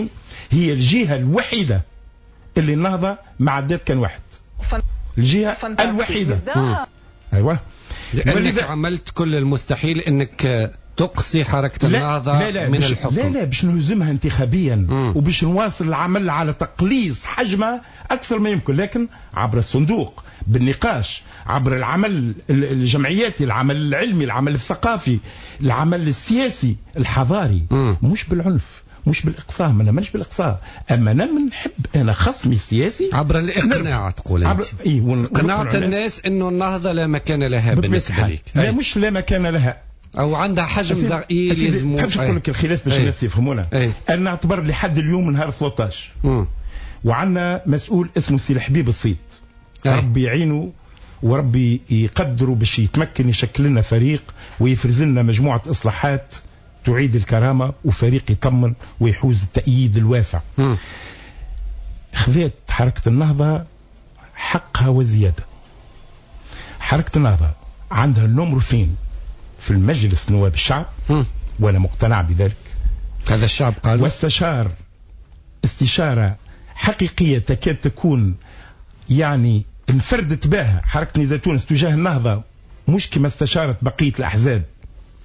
Speaker 5: هي الجهة الوحيدة اللي النهضة ما عدات كان واحد. الجهة الوحيدة. أيوة.
Speaker 3: لأنك عملت كل المستحيل أنك تقصي حركة النهضة
Speaker 5: لا لا
Speaker 3: من الحكم.
Speaker 5: لا لا، باش نهزمها انتخابيا وباش نواصل العمل على تقليص حجمها أكثر ما يمكن، لكن عبر الصندوق، بالنقاش، عبر العمل الجمعياتي، العمل العلمي، العمل الثقافي، العمل السياسي الحضاري، مش بالعنف، مش بالإقصاء. أنا مانيش بالإقصاء، أما أنا نحب أنا خصمي السياسي
Speaker 3: عبر الإقناع. تقول أنت قناعة الناس أنه النهضة لا مكان لها بالنسبة لك.
Speaker 5: لا، مش لا مكان لها،
Speaker 3: أو عندها حجم ضئيل يلزمو.
Speaker 5: تحبش نقول لك الخلاف باش الناس يفهمونا. أنا نعتبر لحد اليوم نهار 13 وعندنا مسؤول اسمه سي الحبيب الصيد، ربي يعينه وربي يقدره باش يتمكن يشكل لنا فريق ويفرز لنا مجموعة إصلاحات تعيد الكرامة، وفريق يطمن ويحوز التأييد الواسع. خذت حركة النهضة حقها وزيادة. حركة النهضة عندها النمر فين في المجلس نواب الشعب، وأنا مقتنع بذلك.
Speaker 3: هذا الشعب قال،
Speaker 5: واستشار استشارة حقيقية تكاد تكون يعني انفردت بها حركة نداء تونس تجاه النهضة، مش كما استشارت بقية الأحزاب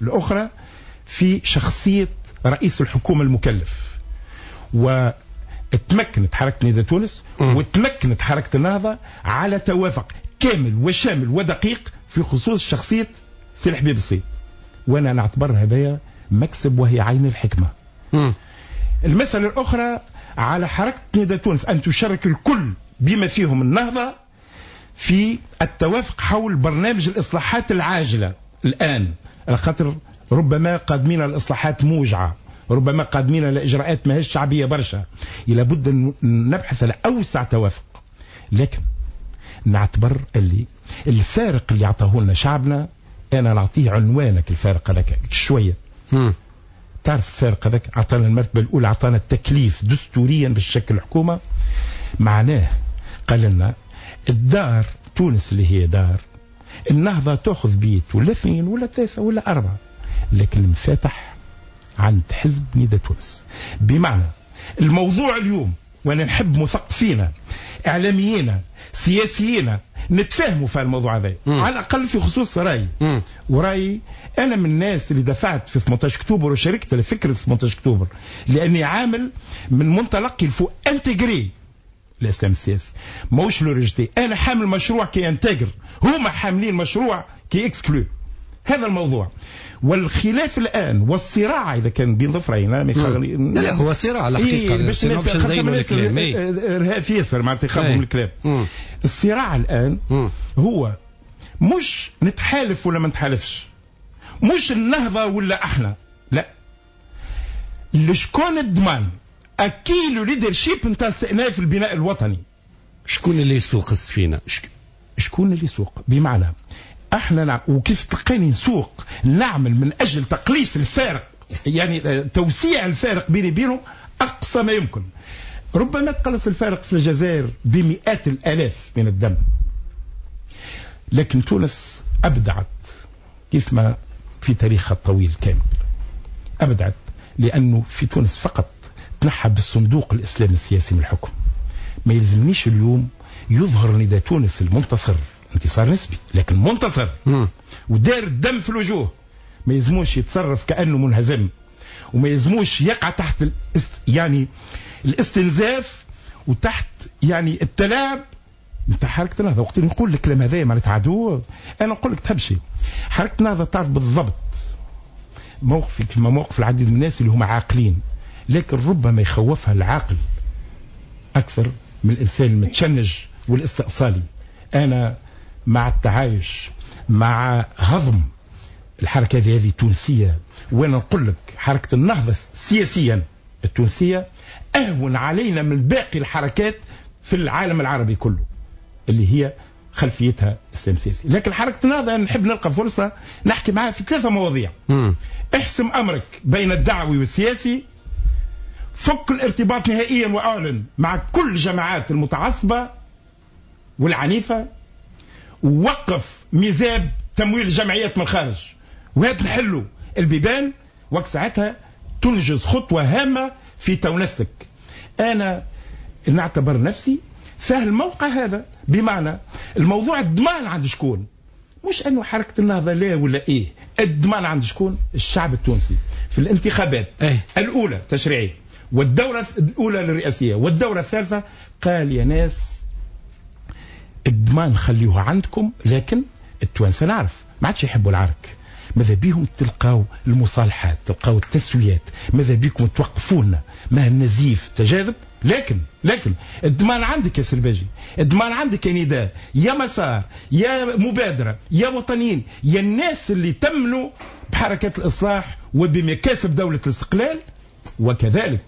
Speaker 5: الأخرى، في شخصية رئيس الحكومة المكلف. وتمكنت حركة نداء تونس وتمكنت حركة النهضة على توافق كامل وشامل ودقيق في خصوص شخصية سي الحبيب الصيد، وانا نعتبر هذايا مكسب وهي عين الحكمة. المسألة الأخرى على حركة نداء تونس أن تشارك الكل بما فيهم النهضة في التوافق حول برنامج الإصلاحات العاجلة الآن، على خاطر ربما قادمين الإصلاحات موجعة، ربما قادمين لإجراءات ماهيش شعبية برشا، لابد أن نبحث على أوسع توافق. لكن نعتبر اللي الفارق اللي عطاه لنا شعبنا، أنا نعطيه عنوانك الفارق هذاك شوية. تعرف الفارق هذاك عطانا المرتبة الأولى، عطانا التكليف دستوريا بالشكل الحكومة. معناه قال لنا الدار تونس اللي هي دار النهضة تأخذ بيت ولا 2 ولا 3 ولا 4، لكن المفاتح عند حزب نداء تونس. بمعنى الموضوع اليوم، وانا نحب مثقفينا اعلاميين سياسيين نتفاهموا في الموضوع هذا على الاقل في خصوص رايي. ورايي انا من الناس اللي دفعت في 18 اكتوبر وشاركت لفكرة 18 اكتوبر، لاني عامل من منطلق il faut intégrer الاسلام السياسي، ماهوش le rejeter. انا حامل مشروع qui intègre، هما حاملين مشروع qui exclut. هذا الموضوع والخلاف الان والصراع اذا كان بين ظفرين.
Speaker 3: لا هو صراع الحقيقة،
Speaker 5: باش نزينوا الكلام ارهاب ياسر معناتها يخافوا من الكلام. الصراع الان هو مش نتحالف ولا ما نتحالفش، مش النهضة ولا احنا، لا، لشكون الضمان à qui le leadership نتاع استئناف البناء الوطني،
Speaker 3: شكون اللي يسوق السفينة،
Speaker 5: شكون اللي يسوق. بمعنى احنا وكيف تلقاني نسوق نعمل من اجل تقليص الفارق، يعني توسيع الفارق بيني وبينهم اقصى ما يمكن. ربما تقلص الفارق في الجزائر بمئات الالاف من الدم، لكن تونس ابدعت كيف ما في تاريخها الطويل كامل ابدعت، لانه في تونس فقط تنحى بالصندوق الاسلامي السياسي من الحكم. ما يلزمنيش اليوم يظهر نداء تونس المنتصر انتصار نسبي لكن منتصر، ودار الدم في الوجوه، ما يلزموش يتصرف كأنه منهزم، وما يلزموش يقع تحت يعني الاستنزاف وتحت يعني التلاعب نتاع حركة النهضة. وقت نقول الكلام هذايا معناتها عدو، أنا نقول لك تحب شيء، حركة النهضة تعرف بالضبط موقفي كما موقف العديد من الناس اللي هم عاقلين، لكن ربما يخوفها العاقل أكثر من الإنسان المتشنج والاستئصالي. أنا مع التعايش، مع هضم الحركة هذه التونسية، وأنا نقول لك حركة النهضة سياسيا التونسية أهون علينا من باقي الحركات في العالم العربي كله اللي هي خلفيتها اسلام سياسي. لكن حركة النهضة نحب نلقى فرصة نحكي معها في 3 مواضيع. احسم أمرك بين الدعوي والسياسي، فك الارتباط نهائيا وأعلن مع كل جماعات المتعصبة والعنيفة، ووقف ميزاب تمويل الجمعيات من الخارج، وهات نحلوا البيبان، وقت ساعتها تنجز خطوة هامة في تونستك. أنا نعتبر نفسي فهم الموقع هذا، بمعنى الموضوع الضمان عند شكون، مش أنه حركة النهضة لا ولا إيه، الضمان عند شكون؟ الشعب التونسي في الانتخابات الأولى تشريعية والدورة الأولى للرئاسية والدورة الثالثة، قال يا ناس الضمان خليوه عندكم، لكن التوانسة نعرف ما عادش يحبوا العرك، ماذا بيهم تلقاو المصالحات، تلقاو التسويات، ماذا بيكم توقفونا ما النزيف تجاذب. لكن الضمان عندك يا سلباجي، الضمان عندك يا نداء، يا مسار، يا مبادرة، يا وطنيين، يا الناس اللي تمنوا بحركة الإصلاح وبمكاسب دولة الاستقلال، وكذلك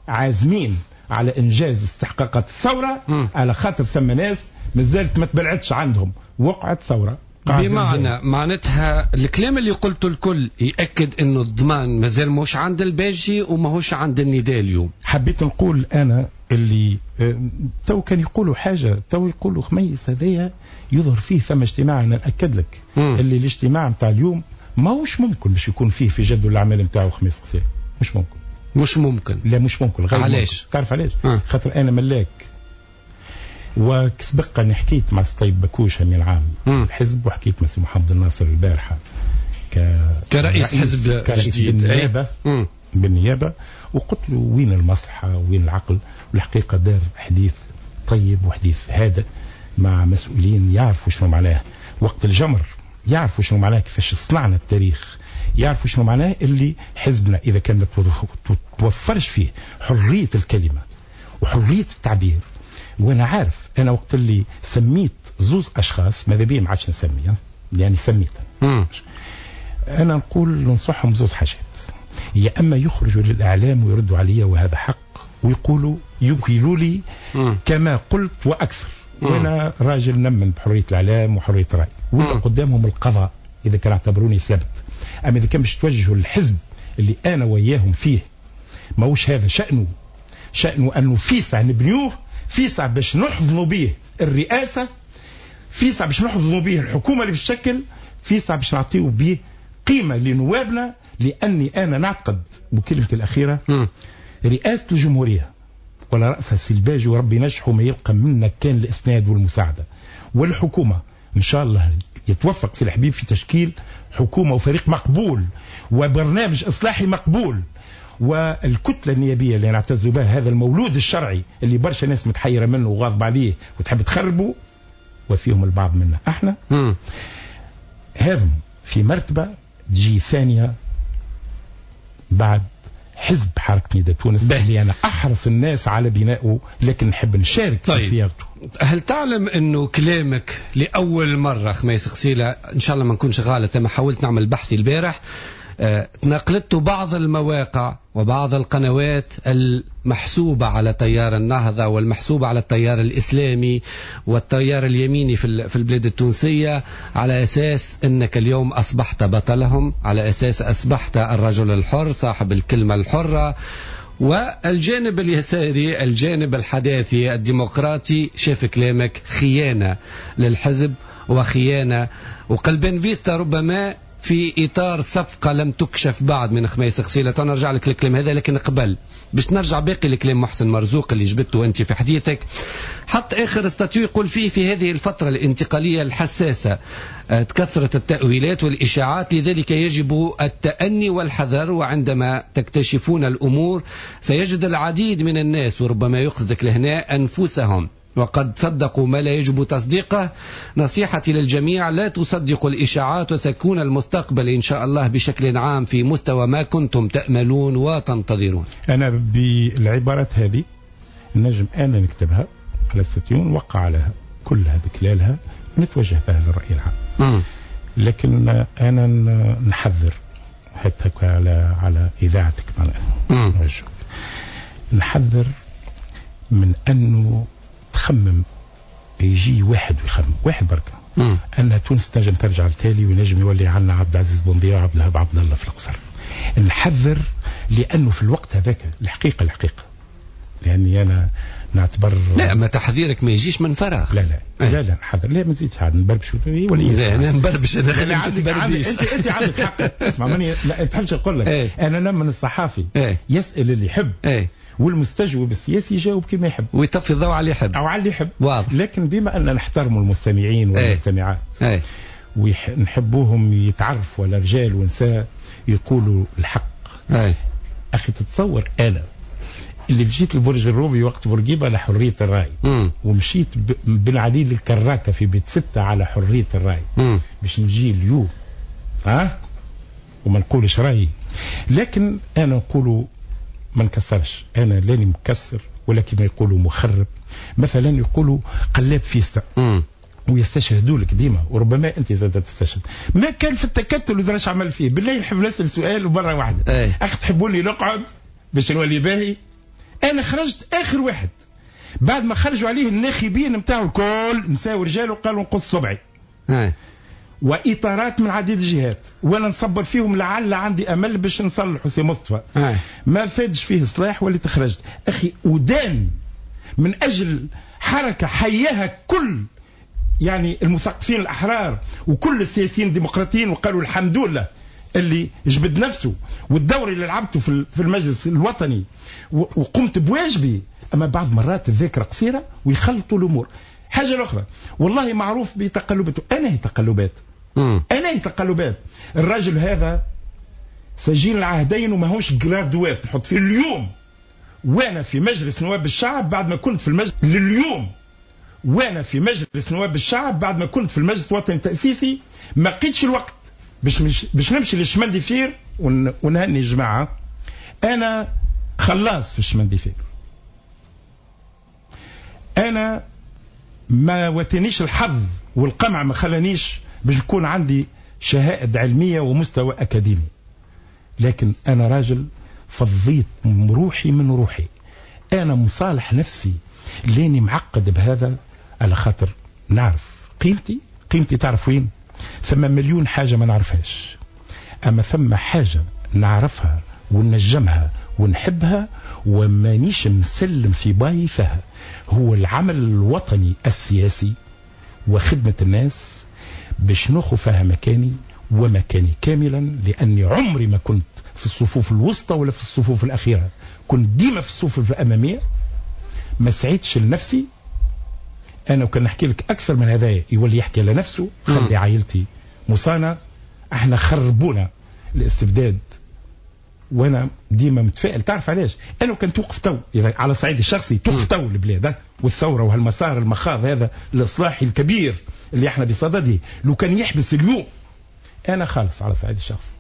Speaker 5: عازمين على إنجاز استحقاقات الثورة، على خاطر ثم ناس مازالت ما تبلعتش عندهم وقعت ثورة.
Speaker 3: بمعنى معناتها الكلام اللي قلته الكل يأكد انه الضمان مازال مش عند الباجي وماهوش عند النداء اليوم.
Speaker 5: حبيت نقول انا اللي تو كان يقولوا حاجة، تو يقولوا خميس هذايا يظهر فيه ثم اجتماع، انا نأكد لك اللي الاجتماع نتاع اليوم ماهوش ممكن باش يكون فيه في جدول الاعمال نتاعو خميس قصير، مش ممكن.
Speaker 3: مش ممكن؟
Speaker 5: لا مش ممكن. غير
Speaker 3: علاش؟
Speaker 5: تعرف علاش؟ خاطر انا ملاك، وسبق اني حكيت مع الطيب بكوش امين العام الحزب، وحكيت مع سي محمد الناصر البارحة
Speaker 3: كرئيس حزب جديد
Speaker 5: بالنيابة بالنيابة، وقلت له وين المصلحة وين العقل. والحقيقة دار حديث طيب وحديث هادئ مع مسؤولين يعرفوا شنو معناه وقت الجمر، يعرفوا شنو معناه كيفاش صنعنا التاريخ، يعرفوا شنو معناه اللي حزبنا اذا كان ما توفرش فيه حرية الكلمة وحريه التعبير. وانا عارف انا وقت اللي سميت زوز اشخاص ماذا بيا ما عادش نسمي، يعني سميت انا نقول ننصحهم زوز حاجات، يا اما يخرجوا للاعلام ويردوا عليا وهذا حق، ويقولوا يقولوا لي كما قلت واكثر، وانا راجل نمن بحرية الاعلام وحريه الراي، ولا قدامهم القضاء اذا كان اعتبروني ثابت. اما اذا كان باش توجهوا للحزب اللي انا وياهم فيه، ماهوش هذا شأنه، شأنه انه فيسع نبنيوه، فيسع باش نحضنوا به الرئاسة، فيسع باش نحضنوا به الحكومة اللي بتشكل، فيسع باش نعطيو به قيمة لنوابنا. لأني أنا نعتقد بكلمتي الأخيرة رئاسة الجمهورية ولا رأسها السلباجي وربي نجحه ما يلقى منا كان الإسناد والمساعدة، والحكومة إن شاء الله يتوفق سي الحبيب في تشكيل حكومة وفريق مقبول وبرنامج إصلاحي مقبول، والكتلة النيابية اللي نعتز بها، هذا المولود الشرعي اللي برشا ناس متحيرة منه وغاضب عليه وتحب تخربه، وفيهم البعض منا احنا، هذا في مرتبة تجي ثانية بعد حزب حركة نداء تونس اللي أنا أحرص الناس على بنائه، لكن نحب نشارك
Speaker 3: طيب.
Speaker 5: في صياغته.
Speaker 3: هل تعلم أنه كلامك لأول مرة خميس قسيلة، إن شاء الله ما نكونش غلط، أما حاولت نعمل بحثي البارح، تناقلته بعض المواقع وبعض القنوات المحسوبة على تيار النهضة والمحسوبة على التيار الإسلامي والتيار اليميني في البلاد التونسية، على أساس أنك اليوم أصبحت بطلهم، على أساس أصبحت الرجل الحر صاحب الكلمة الحرة، والجانب اليساري الجانب الحداثي الديمقراطي شاف كلامك خيانة للحزب وخيانة وقلبين فيستا ربما في إطار صفقة لم تكشف بعد من خميس غسيلة. نرجع لك الكلام هذا، لكن قبل باش نرجع باقي الكلام محسن مرزوق اللي جبته أنت في حديثك، حط آخر statut يقول فيه في هذه الفترة الانتقالية الحساسة تكثرت التأويلات والإشاعات، لذلك يجب التأني والحذر، وعندما تكتشفون الأمور سيجد العديد من الناس وربما يقصدك لهنا أنفسهم وقد صدقوا ما لا يجب تصديقه. نصيحتي للجميع لا تصدقوا الإشاعات، وسيكون المستقبل إن شاء الله بشكل عام في مستوى ما كنتم تأملون وتنتظرون.
Speaker 5: أنا بالعبارات هذه نجم أنا نكتبها على statut وقع عليها كلها بكلالها نتوجه بها للرأي العام. لكن أنا نحذر حتى على إذاعتك نحذر من أنه تخمم يجي واحد ويخمم واحد بركة أن تونس تنجم ترجع لتالي وينجم يولي عنا عبد العزيز بوندير وعبد الوهاب عبد الله في القصر. نحذر لأنه في الوقت هذاك الحقيقة لأني أنا نعتبر
Speaker 3: لا ما تحذيرك ما يجيش من فراغ.
Speaker 5: لا لا إيه. لا لا نحذر، لا ما نزيدش عاد نبربش ولا
Speaker 3: لا انا نبربش، انا
Speaker 5: انت عندك حق. اسمع ماني ما تحبش نقول لك إيه. انا نمن الصحافي إيه. يسأل اللي يحب إيه. والمستجوب السياسي يجاوب كما يحب
Speaker 3: ويطفي الضوء على اللي يحب
Speaker 5: او على اللي يحب. واضح. لكن بما ان نحترم المستمعين والمستمعات إيه. ونحبوهم يتعرفوا على رجال ونساء يقولوا الحق إيه. اخي تتصور انا اللي مشيت لبرج الرومي وقت بورقيبة على حرية الراي ومشيت بن علي للكراكه في بيت 6 على حرية الراي باش نجي اليوم ها وما نقولش رايي، لكن انا نقول ما نكسرش، انا لاني مكسر ولا كما يقولوا مخرب. مثلا يقولوا قلاب فيستا ويستشهدوا لك ديما، وربما انت زاد تستشهد. ما كان في التكتل ودراش عمل فيه. بالله نحب نسال سؤال ومرة واحدة ايه. اخ تحبوني نقعد باش نولي باهي؟ انا خرجت اخر واحد بعد ما خرجوا عليه الناخبين نتاعو الكل نساو رجال وقالوا نقص صبعي ايه. واطارات من عديد الجهات وانا نصبر فيهم لعل عندي امل باش نصلح سي مصطفى آه. ما فادش فيه صلاح واللي تخرجت اخي ودان من اجل حركة حياها كل يعني المثقفين الاحرار وكل السياسيين الديمقراطيين وقالوا الحمد لله اللي جبد نفسه والدور اللي لعبته في المجلس الوطني وقمت بواجبي. اما بعض مرات الذاكرة قصيرة ويخلطوا الامور. حاجة الاخرى والله معروف بتقلباته، انا هي تقلبات انا هي تقلبات. الرجل هذا سجين العهدين وماهوش جرادوات نحط فيه اليوم وانا في مجلس نواب الشعب بعد ما كنت في المجلس لليوم وانا في مجلس نواب الشعب بعد ما كنت في المجلس الوطني التاسيسي ما لقيتش الوقت باش نمشي لل chemin de fer ونهني الجماعة. انا خلاص في ال chemin de fer، انا ما واتنيش الحظ والقمع ما خلانيش باش يكون عندي شهائد علمية ومستوى أكاديمي، لكن أنا راجل فضيت روحي من روحي. أنا مصالح نفسي لاني معقد بهذا على خاطر نعرف قيمتي. قيمتي تعرف وين؟ ثم مليون حاجة ما نعرفهاش، أما ثم حاجة نعرفها وننجمها ونحبها ومانيش مسلم في باي فيها، هو العمل الوطني السياسي وخدمة الناس باش ناخذ فيها مكاني ومكاني كاملا، لأني عمري ما كنت في الصفوف الوسطى ولا في الصفوف الأخيرة، كنت ديما في الصفوف الأمامية. ما سعيتش لنفسي أنا، وكان نحكي لك أكثر من هذا يولي يحكي لنفسه. خلي عائلتي مصانة، احنا خربونا الاستبداد وانا ديما متفائل. تعرف علاش؟ انا كان توقف تو على الصعيد الشخصي توقف تو البلاد والثورة وهالمسار المخاض هذا الاصلاحي الكبير اللي احنا بصدده، لو كان يحبس اليوم انا خالص على الصعيد الشخصي.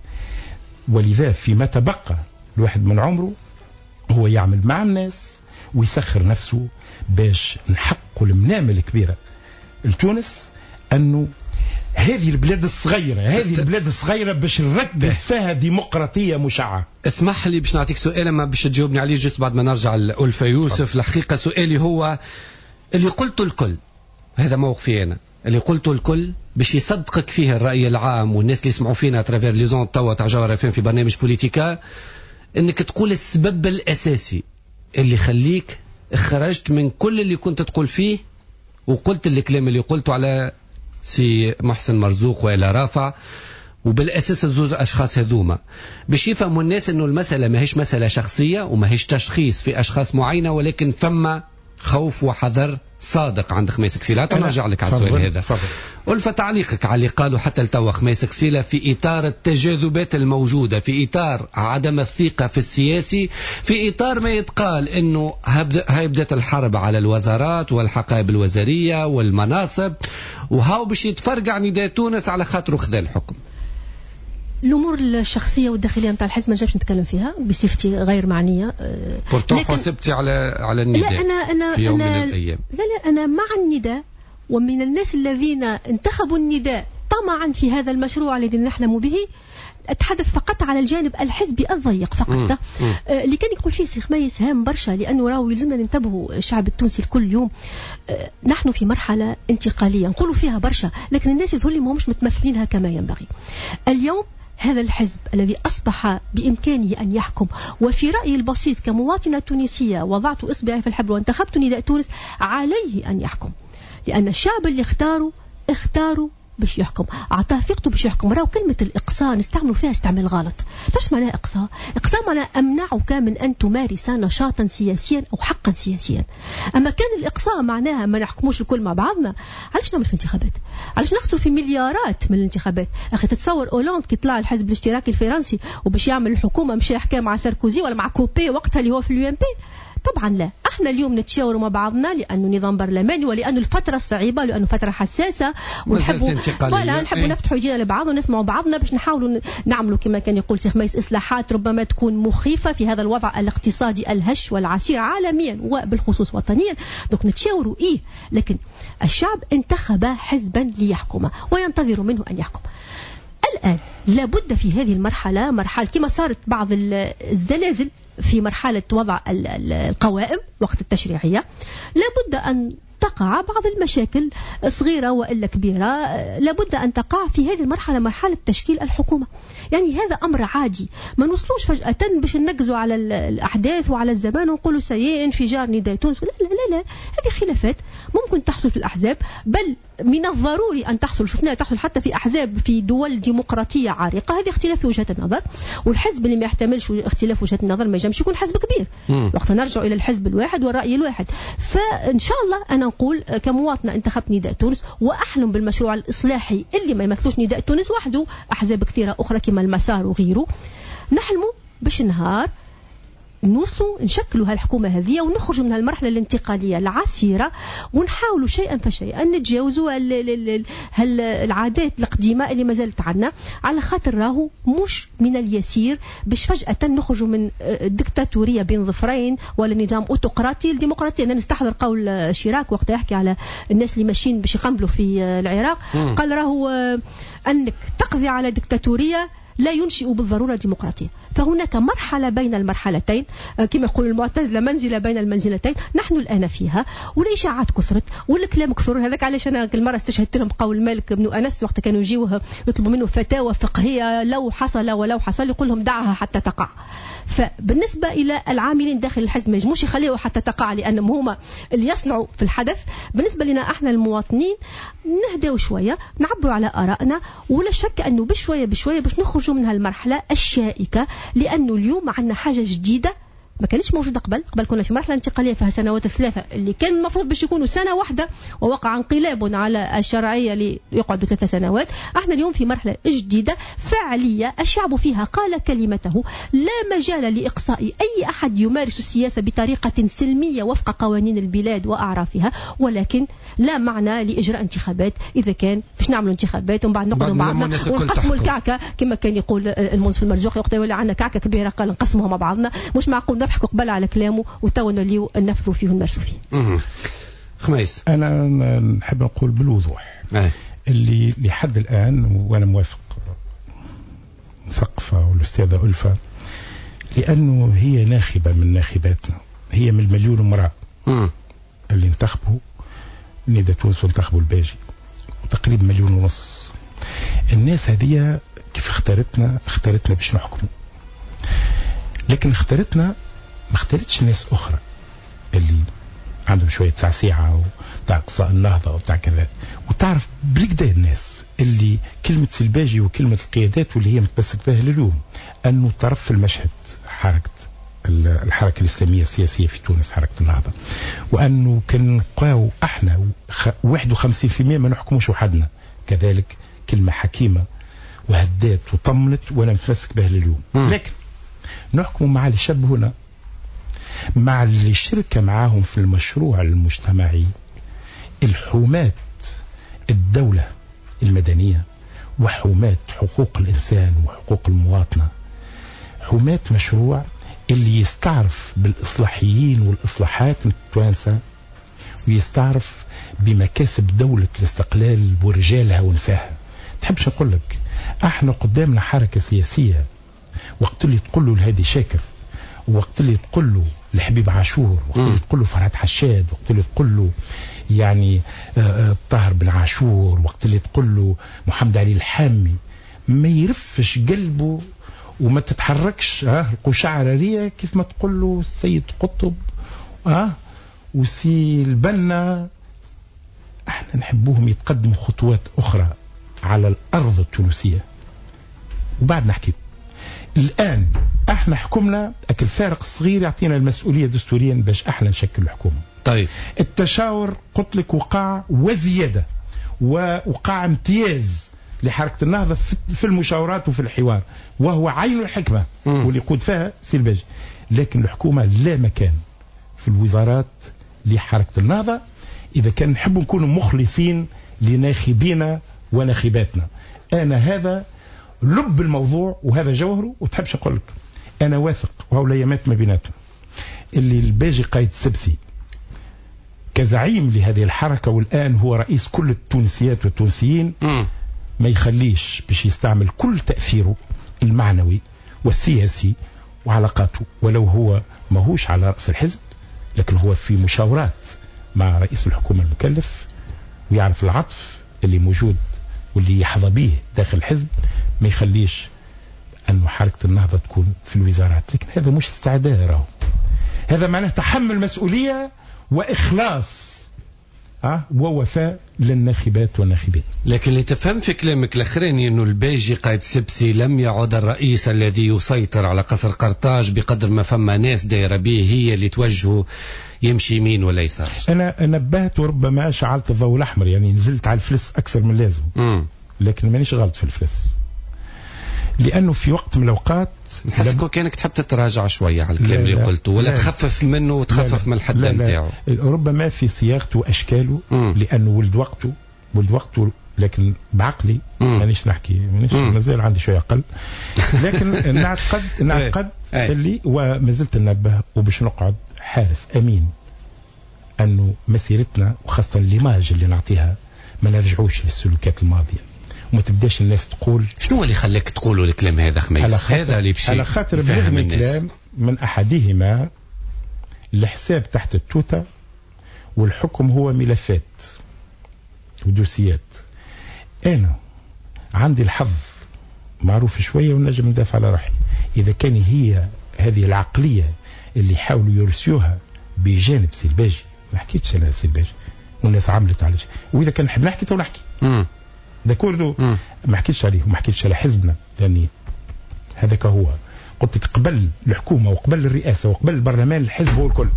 Speaker 5: ولذا فيما تبقى الواحد من عمره هو يعمل مع الناس ويسخر نفسه باش نحققوا المنامة الكبيرة لتونس، انه هذه البلاد الصغيرة، هذه البلاد الصغيرة باش نركز فيها ديمقراطية مشعة.
Speaker 3: اسمح لي باش نعطيك سؤال ما باش تجاوبني عليه juste بعد ما نرجع لألفة يوسف. الحقيقة سؤالي هو اللي قلته الكل، هذا موقفي أنا، اللي قلته الكل باش يصدقك فيه الرأي العام والناس اللي يسمعوا فينا à travers les ondes توا تاع جوهرة FM في برنامج بوليتيكا، انك تقول السبب الأساسي اللي خليك خرجت من كل اللي كنت تقول فيه وقلت الكلام اللي قلته على سي محسن مرزوق وإلى رافع، وبالاساس الزوز اشخاص هذوما باش يفهموا الناس انه المسالة ماهيش مسالة شخصية وماهيش تشخيص في اشخاص معينة، ولكن فما خوف وحذر صادق عند خميس كسيلة. نرجع لك على السؤال هذا. ألفة، تعليقك على اللي قالوا حتى لتوا خميس كسيلة في إطار التجاذبات الموجودة، في إطار عدم الثقة في السياسي، في إطار ما يتقال أنه هاي بدأت الحرب على الوزارات والحقائب الوزارية والمناصب، وهاو باش يتفرقع نداء تونس على خاطره خذا الحكم.
Speaker 7: الامور الشخصية والداخليه نتاع الحزب ما نجمش نتكلم فيها بصفتي غير معنية.
Speaker 3: pourtant حسبتي على النداء.
Speaker 7: لا أنا
Speaker 3: في يوم من الايام.
Speaker 7: لا انا مع النداء، ومن الناس الذين انتخبوا النداء طمعا في هذا المشروع الذي نحلم به. أتحدث فقط على الجانب الحزبي الضيق فقط. اللي كان يقول فيه سي خميس هام برشا، لأنه راهو يلزمنا ننتبهوا الشعب التونسي الكل يوم. نحن في مرحلة انتقالية نقولوا فيها برشا، لكن الناس يظهر لي ماهمش متمثلينها كما ينبغي. اليوم هذا الحزب الذي أصبح بإمكانه أن يحكم، وفي رأيي البسيط كمواطنة تونسية وضعت إصبعي في الحبل وانتخبت نداء تونس، عليه أن يحكم، لأن الشعب اللي اختاروا باش يحكم، أعطاه ثقته باش يحكم. راهو كلمة الإقصاء نستعملوا فيها استعمال غلط. ايش معناها إقصاء؟ إقصاء معناها أمنعك من أن تمارس نشاطا سياسيا أو حقا سياسيا. أما كان الإقصاء معناها ما نحكموش الكل مع بعضنا، علاش نعمل في انتخابات؟ علاش نخسر في مليارات من الانتخابات؟ أخي تتصور أولاند كي طلع الحزب الاشتراكي الفرنسي وباش يعمل الحكومة مشى حكى مع ساركوزي ولا مع كوبي وقتها اللي هو في ال UMP؟ طبعا لا. احنا اليوم نتشاوروا مع بعضنا لانه نظام برلماني، ولانه الفترة صعيبة، لانه فترة حساسة، ونحبوا ولا نحبوا نفتحوا يدينا لبعض ونسمعوا بعضنا باش نحاولوا نعملوا كما كان يقول سي خميس اصلاحات ربما تكون مخيفة في هذا الوضع الاقتصادي الهش والعسير عالميا وبالخصوص وطنيا. donc نتشاوروا ايه، لكن الشعب انتخب حزبا ليحكم وينتظر منه ان يحكم. الآن لابد في هذه المرحلة، مرحلة كما صارت بعض الزلازل في مرحلة وضع القوائم وقت التشريعية، لابد أن تقع بعض المشاكل صغيرة وإلا كبيرة، لابد أن تقع في هذه المرحلة، مرحلة تشكيل الحكومة. يعني هذا أمر عادي، ما نوصلوش فجأة باش ننقزوا على الأحداث وعلى الزمان ونقولوا سيء انفجار نداء تونس. لا لا لا لا، هذه خلافات ممكن تحصل في الأحزاب، بل من الضروري أن تحصل، شفناها تحصل حتى في أحزاب في دول ديمقراطية عريقة. هذه اختلاف في وجهة النظر، والحزب اللي ما يحتملش اختلاف وجهة النظر ما ينجمش يكون حزب كبير. وقت نرجع إلى الحزب الواحد والرأي الواحد. فإن شاء الله أنا نقول كمواطنة انتخبت نداء تونس وأحلم بالمشروع الإصلاحي اللي ما يمثلوش نداء تونس وحده، أحزاب كثيرة أخرى كما المسار وغيره. نحلموا باش نهار نوصلوا نشكلوا هالحكومة هذه ونخرجوا من هالمرحلة الانتقالية العسيرة، ونحاولوا شيئا فشيئا نتجاوزوا العادات القديمة اللي ما زالت عندنا، على خاطر راهو مش من اليسير باش فجأة نخرجوا من الدكتاتورية بين ظفرين ولا نظام اوتقراطي لديمقراطية. أنا نستحضر قول شيراك وقت يحكي على الناس اللي ماشيين باش يقنبلوا في العراق، قال راهو أنك تقضي على دكتاتورية لا ينشئ بالضرورة ديمقراطية. فهناك مرحلة بين المرحلتين، كما يقول المعتزلة منزلة بين المنزلتين، نحن الآن فيها، والإشاعات كثرت والكلام كثر. هذاك علاش أنا كل مرة استشهدت لهم قول مالك بن أنس وقت كانوا يجيوه يطلبوا منه فتاوى فقهية لو حصل ولو حصل، يقول لهم دعها حتى تقع. فبالنسبة إلى العاملين داخل الحزب ما يجموش يخليوها حتى تقع، لأنهم هما اللي يصنعوا في الحدث. بالنسبة لنا احنا المواطنين نهداو شوية، نعبروا على آرائنا، ولا شك أنه بشوية بشوية باش نخرجوا من هالمرحلة الشائكة، لأنه اليوم عندنا حاجة جديدة ما كانتش موجودة قبل. قبل كنا في مرحلة انتقالية فيها سنوات الثلاثة اللي كان المفروض باش يكونوا سنة واحدة، ووقع انقلاب على الشرعية ليقعدوا 3 سنوات. احنا اليوم في مرحلة جديدة فعلية الشعب فيها قال كلمته، لا مجال لإقصاء أي أحد يمارس السياسة بطريقة سلمية وفق قوانين البلاد وأعرافها، ولكن لا معنى لإجراء انتخابات إذا كان باش نعملوا انتخابات ومن بعد نقعدوا مع بعضنا ونقسموا الكعكة كما كان يقول المنصف المرزوقي وقت يولي عندنا كعكة كبيرة قال نقسموها مع بعضنا. مش معقول نضحكوا قبل على كلامه وتو نوليو ننفذوا فيه ونمارسوا فيه.
Speaker 3: خميس،
Speaker 5: أنا نحب نقول بالوضوح اللي لحد الآن وأنا موافق مثقفة والأستاذة ألفة، لأنه هي ناخبة من ناخباتنا، هي من المليون امرأة اللي انتخبوا نداء تونس وانتخبوا الباجي، وتقريبا 1.5 مليون. الناس هذه كيف اختارتنا؟ اختارتنا باش نحكموا، لكن اختارتنا ما اختارتش ناس أخرى اللي عندهم شوية سعسيعه وتاع اقصاء النهضة وتاع كذا، وتعرف بالكدا الناس اللي كلمة سلباجي وكلمه القيادات واللي هي متمسك بها لليوم انه طرف المشهد حركة الحركة الاسلامية السياسية في تونس، حركة النهضة، وانه كان نلقاو احنا 51% ما نحكموش وحدنا. كذلك كلمة حكيمة وهدات وطمنت وانا متمسك بها لليوم. لكن نحكم مع اللي شبهونا، مع اللي شركة معاهم في المشروع المجتمعي، الحماة الدولة المدنية وحماة حقوق الإنسان وحقوق المواطنة، حماة مشروع اللي يستعرف بالإصلاحيين والإصلاحات التوانسة ويستعرف بمكاسب دولة الاستقلال ورجالها ونساها. تحبش أقول لك احنا قدامنا حركة سياسية وقت اللي تقول له الهادي شاكر، وقت اللي تقول له الحبيب عاشور، وقت اللي تقول له فرهاد حشاد، وقت اللي تقول له يعني طاهر بن عاشور، وقت اللي تقول له محمد علي الحامي، ما يرفش قلبه وما تتحركش القشعرية كيف ما تقول له السيد قطب وسي البنا. احنا نحبوهم يتقدموا خطوات أخرى على الأرض التونسية وبعد نحكي. الآن احنا حكمنا أكل فارق صغير يعطينا المسؤولية دستوريا باش احنا نشكل الحكومة.
Speaker 3: طيب
Speaker 5: التشاور قلت لك وقع وزيادة ووقع امتياز لحركة النهضة في المشاورات وفي الحوار، وهو عين الحكمة واللي يقود فيها سي الباجي. لكن الحكومة لا مكان في الوزارات لحركة النهضة إذا كان نحب نكون مخلصين لناخبينا وناخباتنا. أنا هذا لب الموضوع وهذا جوهره. وتحبش أقول لك أنا واثق وهو الأيامات ما بيناتنا اللي الباجي قايد السبسي كزعيم لهذه الحركة والآن هو رئيس كل التونسيات والتونسيين ما يخليش باش يستعمل كل تأثيره المعنوي والسياسي وعلاقاته، ولو هو ماهوش على رأس الحزب لكن هو في مشاورات مع رئيس الحكومة المكلف ويعرف العطف اللي موجود واللي يحظى به داخل الحزب، ما يخليش أنه حركة النهضة تكون في الوزارات. لكن هذا مش استعداد، راهو هذا معناه تحمل مسؤولية وإخلاص ووفاء للناخبات والناخبين.
Speaker 3: لكن اللي تفهم في كلامك الأخراني أنه الباجي قايد سبسي لم يعد الرئيس الذي يسيطر على قصر قرطاج بقدر ما فما ناس دايرة به هي اللي توجهه يمشي يمين ولا يسار.
Speaker 5: أنا نبهت وربما شعلت الضوء الأحمر، يعني نزلت على الفلس أكثر من اللازم، لكن مانيش غلط في الفلس، لأنه في وقت من الأوقات
Speaker 3: نحسك كأنك تحب تتراجع شوية على الكلام اللي قلته ولا تخفف منه وتخفف من الحد نتاعو.
Speaker 5: ربما في صياغته وأشكاله، لأنه ولد وقته، لكن بعقلي مانيش نحكي، مانيش مازال عندي شوية أقل، لكن نعتقد اللي وما زلت ننبه وباش نقعد حارس أمين أنه مسيرتنا وخاصة l'image اللي نعطيها ما نرجعوش للسلوكات الماضية وما تبداش الناس تقول.
Speaker 3: شنو اللي خلاك تقولوا الكلام هذا خميس؟ هذا اللي بشي
Speaker 5: على خاطر بلغني كلام من أحدهما، الحساب تحت التوتة والحكم هو ملفات ودوسيات. أنا عندي الحظ معروف شوية ونجم ندافع على روحي. إذا كان هي هذه العقلية اللي حاولوا يرسيوها بجانب سي الباجي، ما حكيتش أنا سي الباجي والناس عملت على شيء، وإذا كان نحب نحكي تو نحكي d'accord، ما حكيتش عليه وما حكيتش على حزبنا، لأني هذاك هو قلت لك قبل الحكومة وقبل الرئاسة وقبل البرلمان الحزب هو الكل.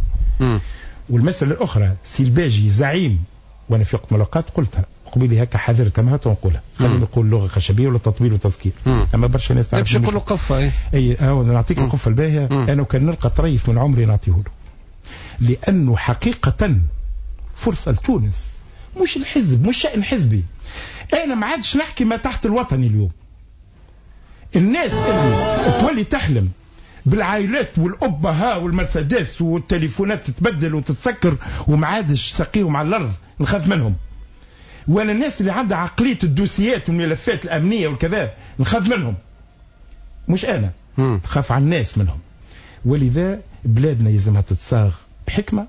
Speaker 5: والمسألة الأخرى سي الباجي زعيم، وأنا في وقت من الأوقات قلتها قبيلي هكا حذرتها ما نقولها، خلينا نقول لغة خشبية ولا تطبيل وتذكير، أما برشا ناس تعرف
Speaker 3: باش يقولوا قفة.
Speaker 5: أي نعطيك القفة الباهية. أنا كان نلقى طريف من عمري نعطيه له، لأنه حقيقة فرصة لتونس، مش الحزب، مش شأن حزبي. أنا ما عادش نحكي ما تحت الوطني اليوم. الناس اللي تولي تحلم بالعائلات والأبها والمرسيدس والتليفونات تتبدل وتتسكر وما عادش ساقيهم على الأرض، نخاف منهم. ولا الناس اللي عندها عقلية الدوسيات والملفات الأمنية والكذا، نخاف منهم. مش أنا، نخاف على الناس منهم. ولذا بلادنا يلزمها تتصاغ بحكمة،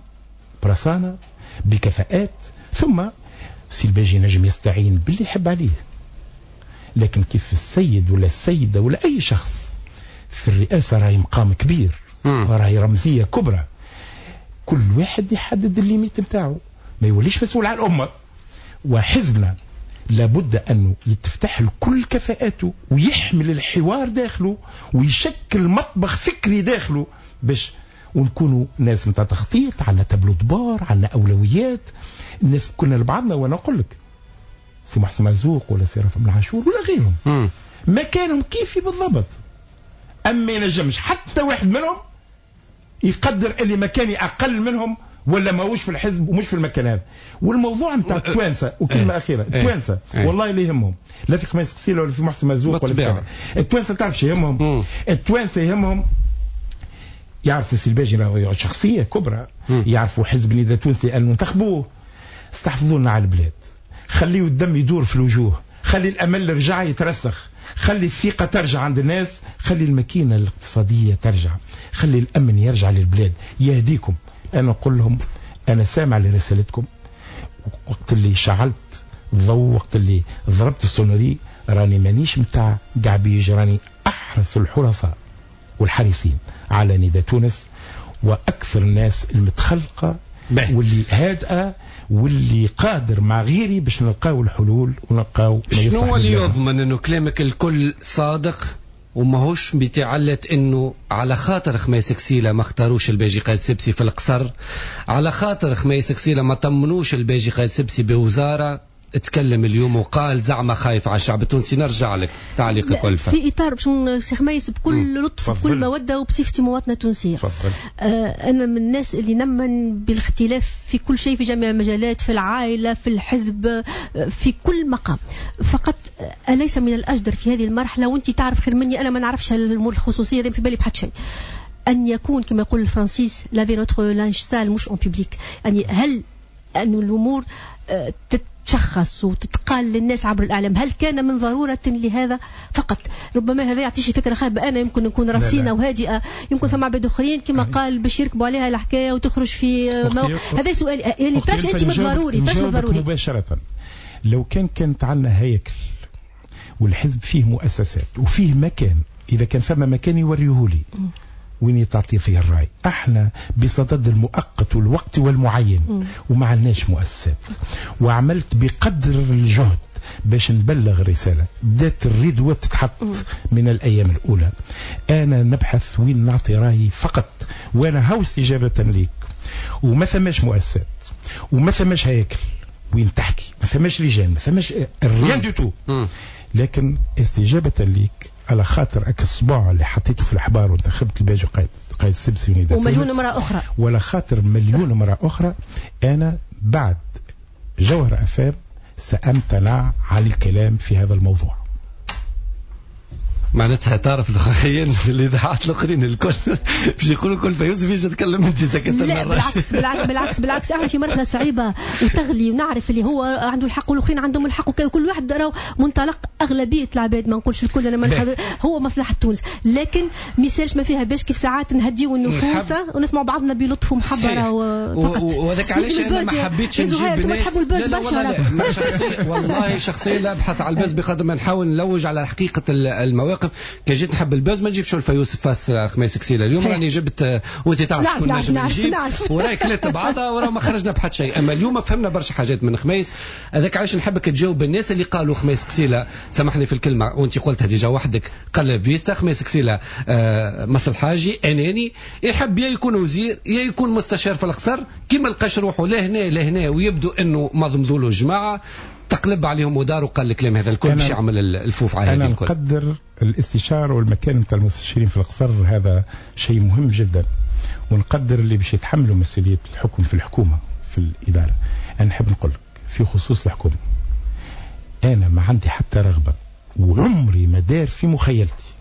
Speaker 5: برصانة، بكفاءات. ثم سي الباجي نجم يستعين باللي يحب عليه، لكن كيف السيد ولا السيدة ولا أي شخص في الرئاسة راهي مقام كبير، راهي رمزية كبرى. كل واحد يحدد ال limites نتاعو، ما يوليش مسؤول على الامة. وحزبنا لابد انه يتفتح لكل كفاءاته ويحمل الحوار داخله ويشكل مطبخ فكري داخله باش ونكونوا ناس نتاع تخطيط، عندنا tableau de bord، عندنا اولويات، الناس كنا لبعضنا. وانا نقول لك سي محسن مرزوق ولا سي رافع بن عاشور ولا غيرهم مكانهم كيفي بالضبط، اما ينجمش حتى واحد منهم يقدر اللي مكاني اقل منهم ولا ماهوش في الحزب ومش في المكان هذا. والموضوع نتاع التوانسة، وكلمه اخيرة، التوانسة والله اللي يهمهم لا في خميس قسيله ولا في محسن مرزوق ولا في التوانسة، تعرف شو يهمهم؟ التوانسة يهمهم يعرفوا سي الباجي شخصية كبرى، يعرفوا حزب النداء التونسي لانه انتخبوه. استحفظوا لنا على البلاد، خليوا الدم يدور في الوجوه، خلي الامل رجع يترسخ، خلي الثقة ترجع عند الناس، خلي الماكينة الاقتصادية ترجع، خلي الامن يرجع للبلاد. يهديكم. انا نقول لهم انا سامع لرسالتكم. وقت اللي شعلت الضوء، وقت اللي ضربت ال sonnerie، راني مانيش متاع قعبيج، راني احرص الحرصاء والحريصين على نداء تونس، واكثر الناس المتخلقه واللي هادئة واللي قادر مع غيري باش نلقاو الحلول ونلقاو.
Speaker 3: شنو اللي يضمن انه كلامك الكل صادق وماهوش بتعلة انه على خاطر خميس كسيلة ما اختاروش الباجي قايد سبسي في القصر، على خاطر خميس كسيلة ما طمنوش الباجي قايد سبسي بوزارة؟ اتكلم اليوم وقال زعما خايف على الشعب التونسي. نرجع لك تعليقك ألفة.
Speaker 7: في اطار باش سي خميس بكل لطف وبكل موده وبصفتي مواطنه تونسية. انا من الناس اللي نمن بالاختلاف في كل شيء، في جميع المجالات، في العائلة، في الحزب، في كل مقام. فقط اليس من الاجدر في هذه المرحلة، وانت تعرف خير مني، انا ما نعرفش الامور الخصوصية هذه في بالي بحد شيء، ان يكون كما يقول الفرنسيس laver notre linge sale مش en public. يعني هل أن الأمور تتشخص وتتقال للناس عبر الإعلام؟ هل كان من ضرورة لهذا؟ فقط ربما هذا يعطيش فكرة خايبة. أنا يمكن نكون رصينة وهادئة، يمكن ثم عباد أخرين كما قال باش يركبوا عليها الحكاية وتخرج في هذا سؤال. يعني تاش أنت من ضروري، تاش من ضروري
Speaker 5: مباشرة. لو كانت عندنا هياكل والحزب فيه مؤسسات وفيه مكان، إذا كان فما مكان يوريهولي وين تعطي فيه الرأي. احنا بصدد المؤقت والوقت والمعين وما عندناش مؤسسات، وعملت بقدر الجهد باش نبلغ الرسالة. بدات الردوة تتحط من الأيام الأولى. أنا نبحث وين نعطي رأيي فقط، وأنا هاو استجابة ليك. وما ثماش مؤسسات وما ثماش هياكل وين تحكي، ما ثماش لجان، ما ثماش rien du tout. لكن استجابة ليك على خاطر اك الصباع اللي حطيته في الأحبار وانتخبت الباجي قايد السبسي ونداء
Speaker 7: ومليون امرأة أخرى،
Speaker 5: ولا خاطر مليون امرأة أخرى، أنا بعد جوهر أفام سأمتنع عن الكلام في هذا الموضوع.
Speaker 3: معناتها تعرف الاخرين الاذاعات الاخرين الكل باش يقولوا كل فيوز فيش تتكلم انت سكت.
Speaker 7: لا بالعكس بالعكس بالعكس بالعكس، احنا في مرحلة صعيبة وتغلي، ونعرف اللي هو عنده الحق والاخرين عندهم الحق، وكل واحد راهو منطلق اغلبية العباد، ما نقولش الكل، انا ما هو مصلحة تونس، لكن ميسالش ما فيها باش كيف ساعات نهديو النفوس ونسمعوا بعضنا بلطف ومحبه.
Speaker 3: وهذاك علاش انا ما حبيتش نجيب ناس. لا لا والله شخصيا، والله شخصيا لا ابحث على ال buzz بقدر ما نحاول نلوج على حقيقة المواقف. كي جيت نحب ال buzz ما نجيبش ألفة يوسف face خميس كسيلة. اليوم راني جبت وانت تعرف شكون نجم نجيب، وراي كلات بعضها ورا ما خرجنا بحد شيء. اما اليوم فهمنا برشا حاجات من خميس. هذاك علاش نحبك تجاوب الناس اللي قالوا خميس كسيلة، سامحني في الكلمة وانت قلتها déjà وحدك، قلب فيستا خميس كسيلة مصلحاجي اناني، يحب يا يكون وزير يا يكون مستشار في القصر، كي ما لقاش روحه لا هنا لا هنا، ويبدو انه مضمضوا له جماعة تقلب عليهم ودار وقال الكلام هذا الكل باش يعمل الفوف على هذه الكل.
Speaker 5: أنا نقدر الاستشارة والمكان نتاع المستشارين في القصر، هذا شيء مهم جدا، ونقدر اللي باش يتحملوا مسؤولية الحكم في الحكومة في الإدارة. أنا نحب نقول لك في خصوص الحكومة، أنا ما عندي حتى رغبة وعمري ما دار في مخيلتي،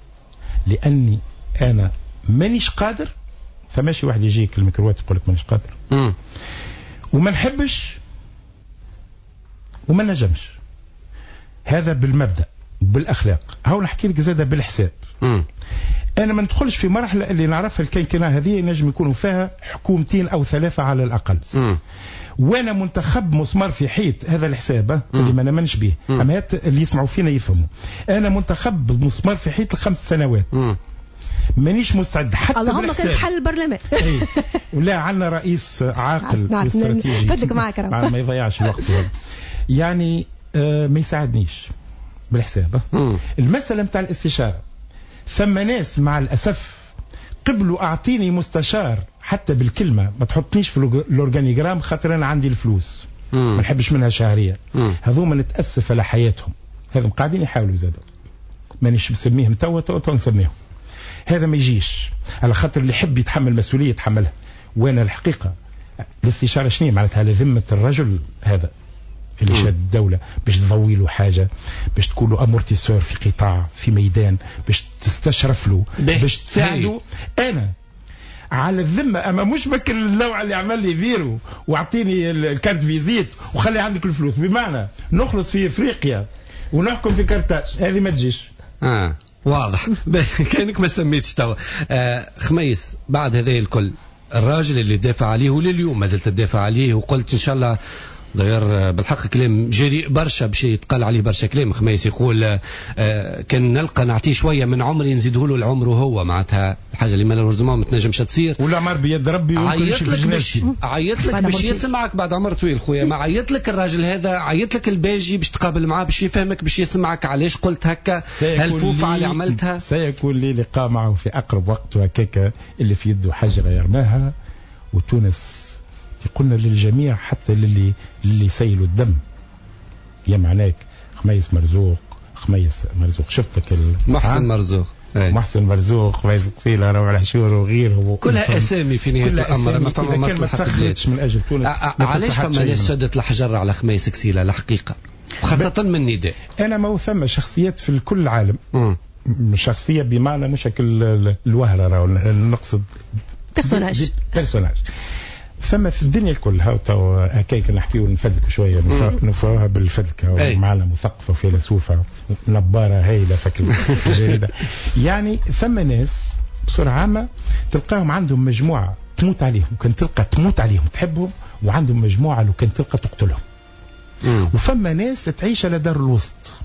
Speaker 5: لأني أنا مانيش قادر. فماشي واحد يجيك الميكروات يقول لك مانيش قادر، وما نحبش وما نجمش. هذا بالمبدأ بالأخلاق. هاو نحكي لك زادة بالحساب. أنا ما ندخلش في مرحلة اللي نعرفها ال quinquennat هذه نجم يكونوا فيها حكومتين أو ثلاثة على الأقل. وأنا منتخب مسمار في حيط، هذا الحساب اللي ما نمنش به. أما اللي يسمعوا فينا يفهموا. أنا منتخب مسمار في حيط ل5 سنوات. مانيش مستعد حتى
Speaker 7: اللهم كان تحل البرلمان.
Speaker 5: ولا عندنا رئيس عاقل واستراتيجي.
Speaker 7: فدلك معك
Speaker 5: ما يضيعش الوقت يعني ما يساعدنيش بالحساب. المسألة نتاع الاستشارة، ثم ناس مع الأسف قبلوا أعطيني مستشار حتى بالكلمة، ما تحطنيش في ال organigramme خاطر أنا عندي الفلوس ما نحبش منها شهرية. هذوما نتأسف على حياتهم، هذم قاعدين يحاولوا زادوا، مانيش مسميهم توا توا نسميهم. هذا ما يجيش على خاطر اللي يحب يتحمل مسؤولية يتحملها. وأنا الحقيقة الاستشارة شنو معناتها؟ على ذمة الرجل هذا اللي شاد الدولة، باش تضوي له حاجة، باش تكون له amortisseur في قطاع، في ميدان، باش تستشرف له، باش تساعده. أنا على الذمة، أما مش بك النوع اللي عمل لي فيرو واعطيني ال carte visite وخلي عندك الفلوس، بمعنى نخلص في إفريقيا ونحكم في كارتاج، هذه ما تجيش.
Speaker 3: واضح. كأنك ما سميتش توا. خميس، بعد هذا الكل الراجل اللي دافع عليه ولليوم ما زلت تدافع عليه، وقلت إن شاء الله داير بالحق كلام جريء برشا باش يتقال عليه برشا كلام. خميس يقول كان نلقى نعطيه شوية من عمري نزيده له العمر، وهو معناتها الحاجة اللي malheureusement ما تنجمش تصير.
Speaker 5: والعمر بيد ربي.
Speaker 3: عيط لك باش عيط لك باش يسمعك بعد عمر طويل خويا، ما عيط لك الراجل هذا، عيط لك الباجي باش تقابل معاه، باش يفهمك، باش يسمعك علاش قلت هكا، هالفوفه اللي عملتها.
Speaker 5: سيكون لي لقاء معه في اقرب وقت، وهكاك اللي في يده حجره يرماها. وتونس قلنا للجميع حتى للي سيلوا الدم، يا معناك خميس مرزوق، خميس مرزوق شفتك
Speaker 3: محسن مرزوق،
Speaker 5: محسن مرزوق، خميس قصيلة، روع العشور وغيره،
Speaker 3: كلها اسامي في نهاية الامر ما فما مصلحة البلاد
Speaker 5: من اجل تونس.
Speaker 3: علاش فما ناس شدت الحجر على خميس كسيله الحقيقة، وخاصة من نداء؟
Speaker 5: انا ما ثم شخصيات في كل العالم، شخصية بمعنى مش الوهره، نقصد personnage ثم في الدنيا الكل. هاو تو هكاك نحكيو نفدلك شوية، نفروها بالفدلكه، معنا مثقفة وفيلسوفه نباره هايلة فك الجريدة. يعني ثم ناس بصورة عامة تلقاهم عندهم مجموعة تموت عليهم، وكان تلقى تموت عليهم تحبهم، وعندهم مجموعة لو كان تلقى تقتلهم. وفما ناس تعيش على دار الوسط،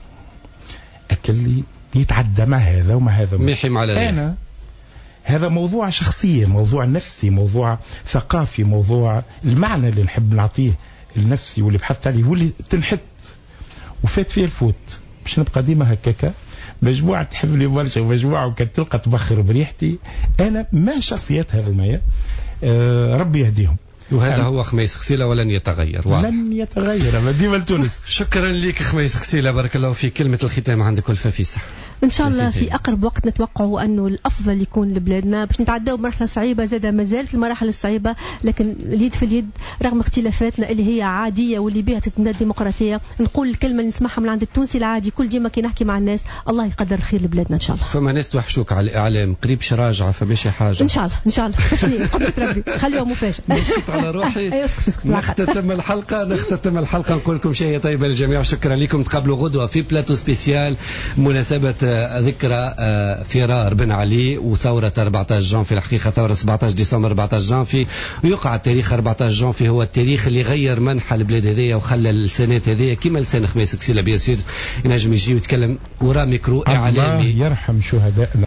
Speaker 5: اكل يتعدى مع هذا ومع هذا. انا هذا موضوع شخصية، موضوع نفسي، موضوع ثقافي، موضوع المعنى اللي نحب نعطيه النفسي واللي بحثت عليه واللي تنحت وفات فيه الفوت. باش نبقى ديما هكاكا مجموعة تحب لي برشا ومجموعة وكان تلقى تبخر بريحتي. أنا ما شخصيات هذوما، ربي يهديهم.
Speaker 3: وهذا هو خميس خسيلة ولن يتغير. واضح.
Speaker 5: لن يتغير، ما ديما لتونس.
Speaker 3: شكرا لك خميس خسيلة، بارك الله فيك. كلمة الختام عندك الفافيسة.
Speaker 7: إن شاء الله في أقرب وقت نتوقعوا أنه الأفضل يكون لبلادنا باش نتعداو بمرحلة صعيبة، زادة ما زالت المراحل الصعيبة، لكن اليد في اليد رغم اختلافاتنا اللي هي عادية واللي بها تتبنى الديمقراطية. نقول الكلمة اللي نسمعها من عند التونسي العادي كل ديما كي نحكي مع الناس، الله يقدر الخير لبلادنا إن شاء الله.
Speaker 3: فما ناس توحشوك على الإعلام، قريب شراجعة فماشي حاجة.
Speaker 7: إن شاء الله إن شاء الله، قدرة ربي خليها مفاجأة.
Speaker 3: نسكت على روحي.
Speaker 7: اسكت.
Speaker 3: نختتم الحلقة، نختتم الحلقة، نقول لكم شيء طيب للجميع. شكرا لكم، تقابلوا غدوة في plateau spécial مناسبة ذكرى فرار بن علي وثورة 14 جانفي. الحقيقة ثورة 17 ديسمبر 14 جانفي، ويقع التاريخ 14 جانفي هو التاريخ اللي غير منحى البلاد هذيا وخلى السنات هذيا كيما لسان خميس كسيلة bien sûr ينجم يجي ويتكلم ورا ميكرو إعلامي.
Speaker 5: الله يرحم شهدائنا.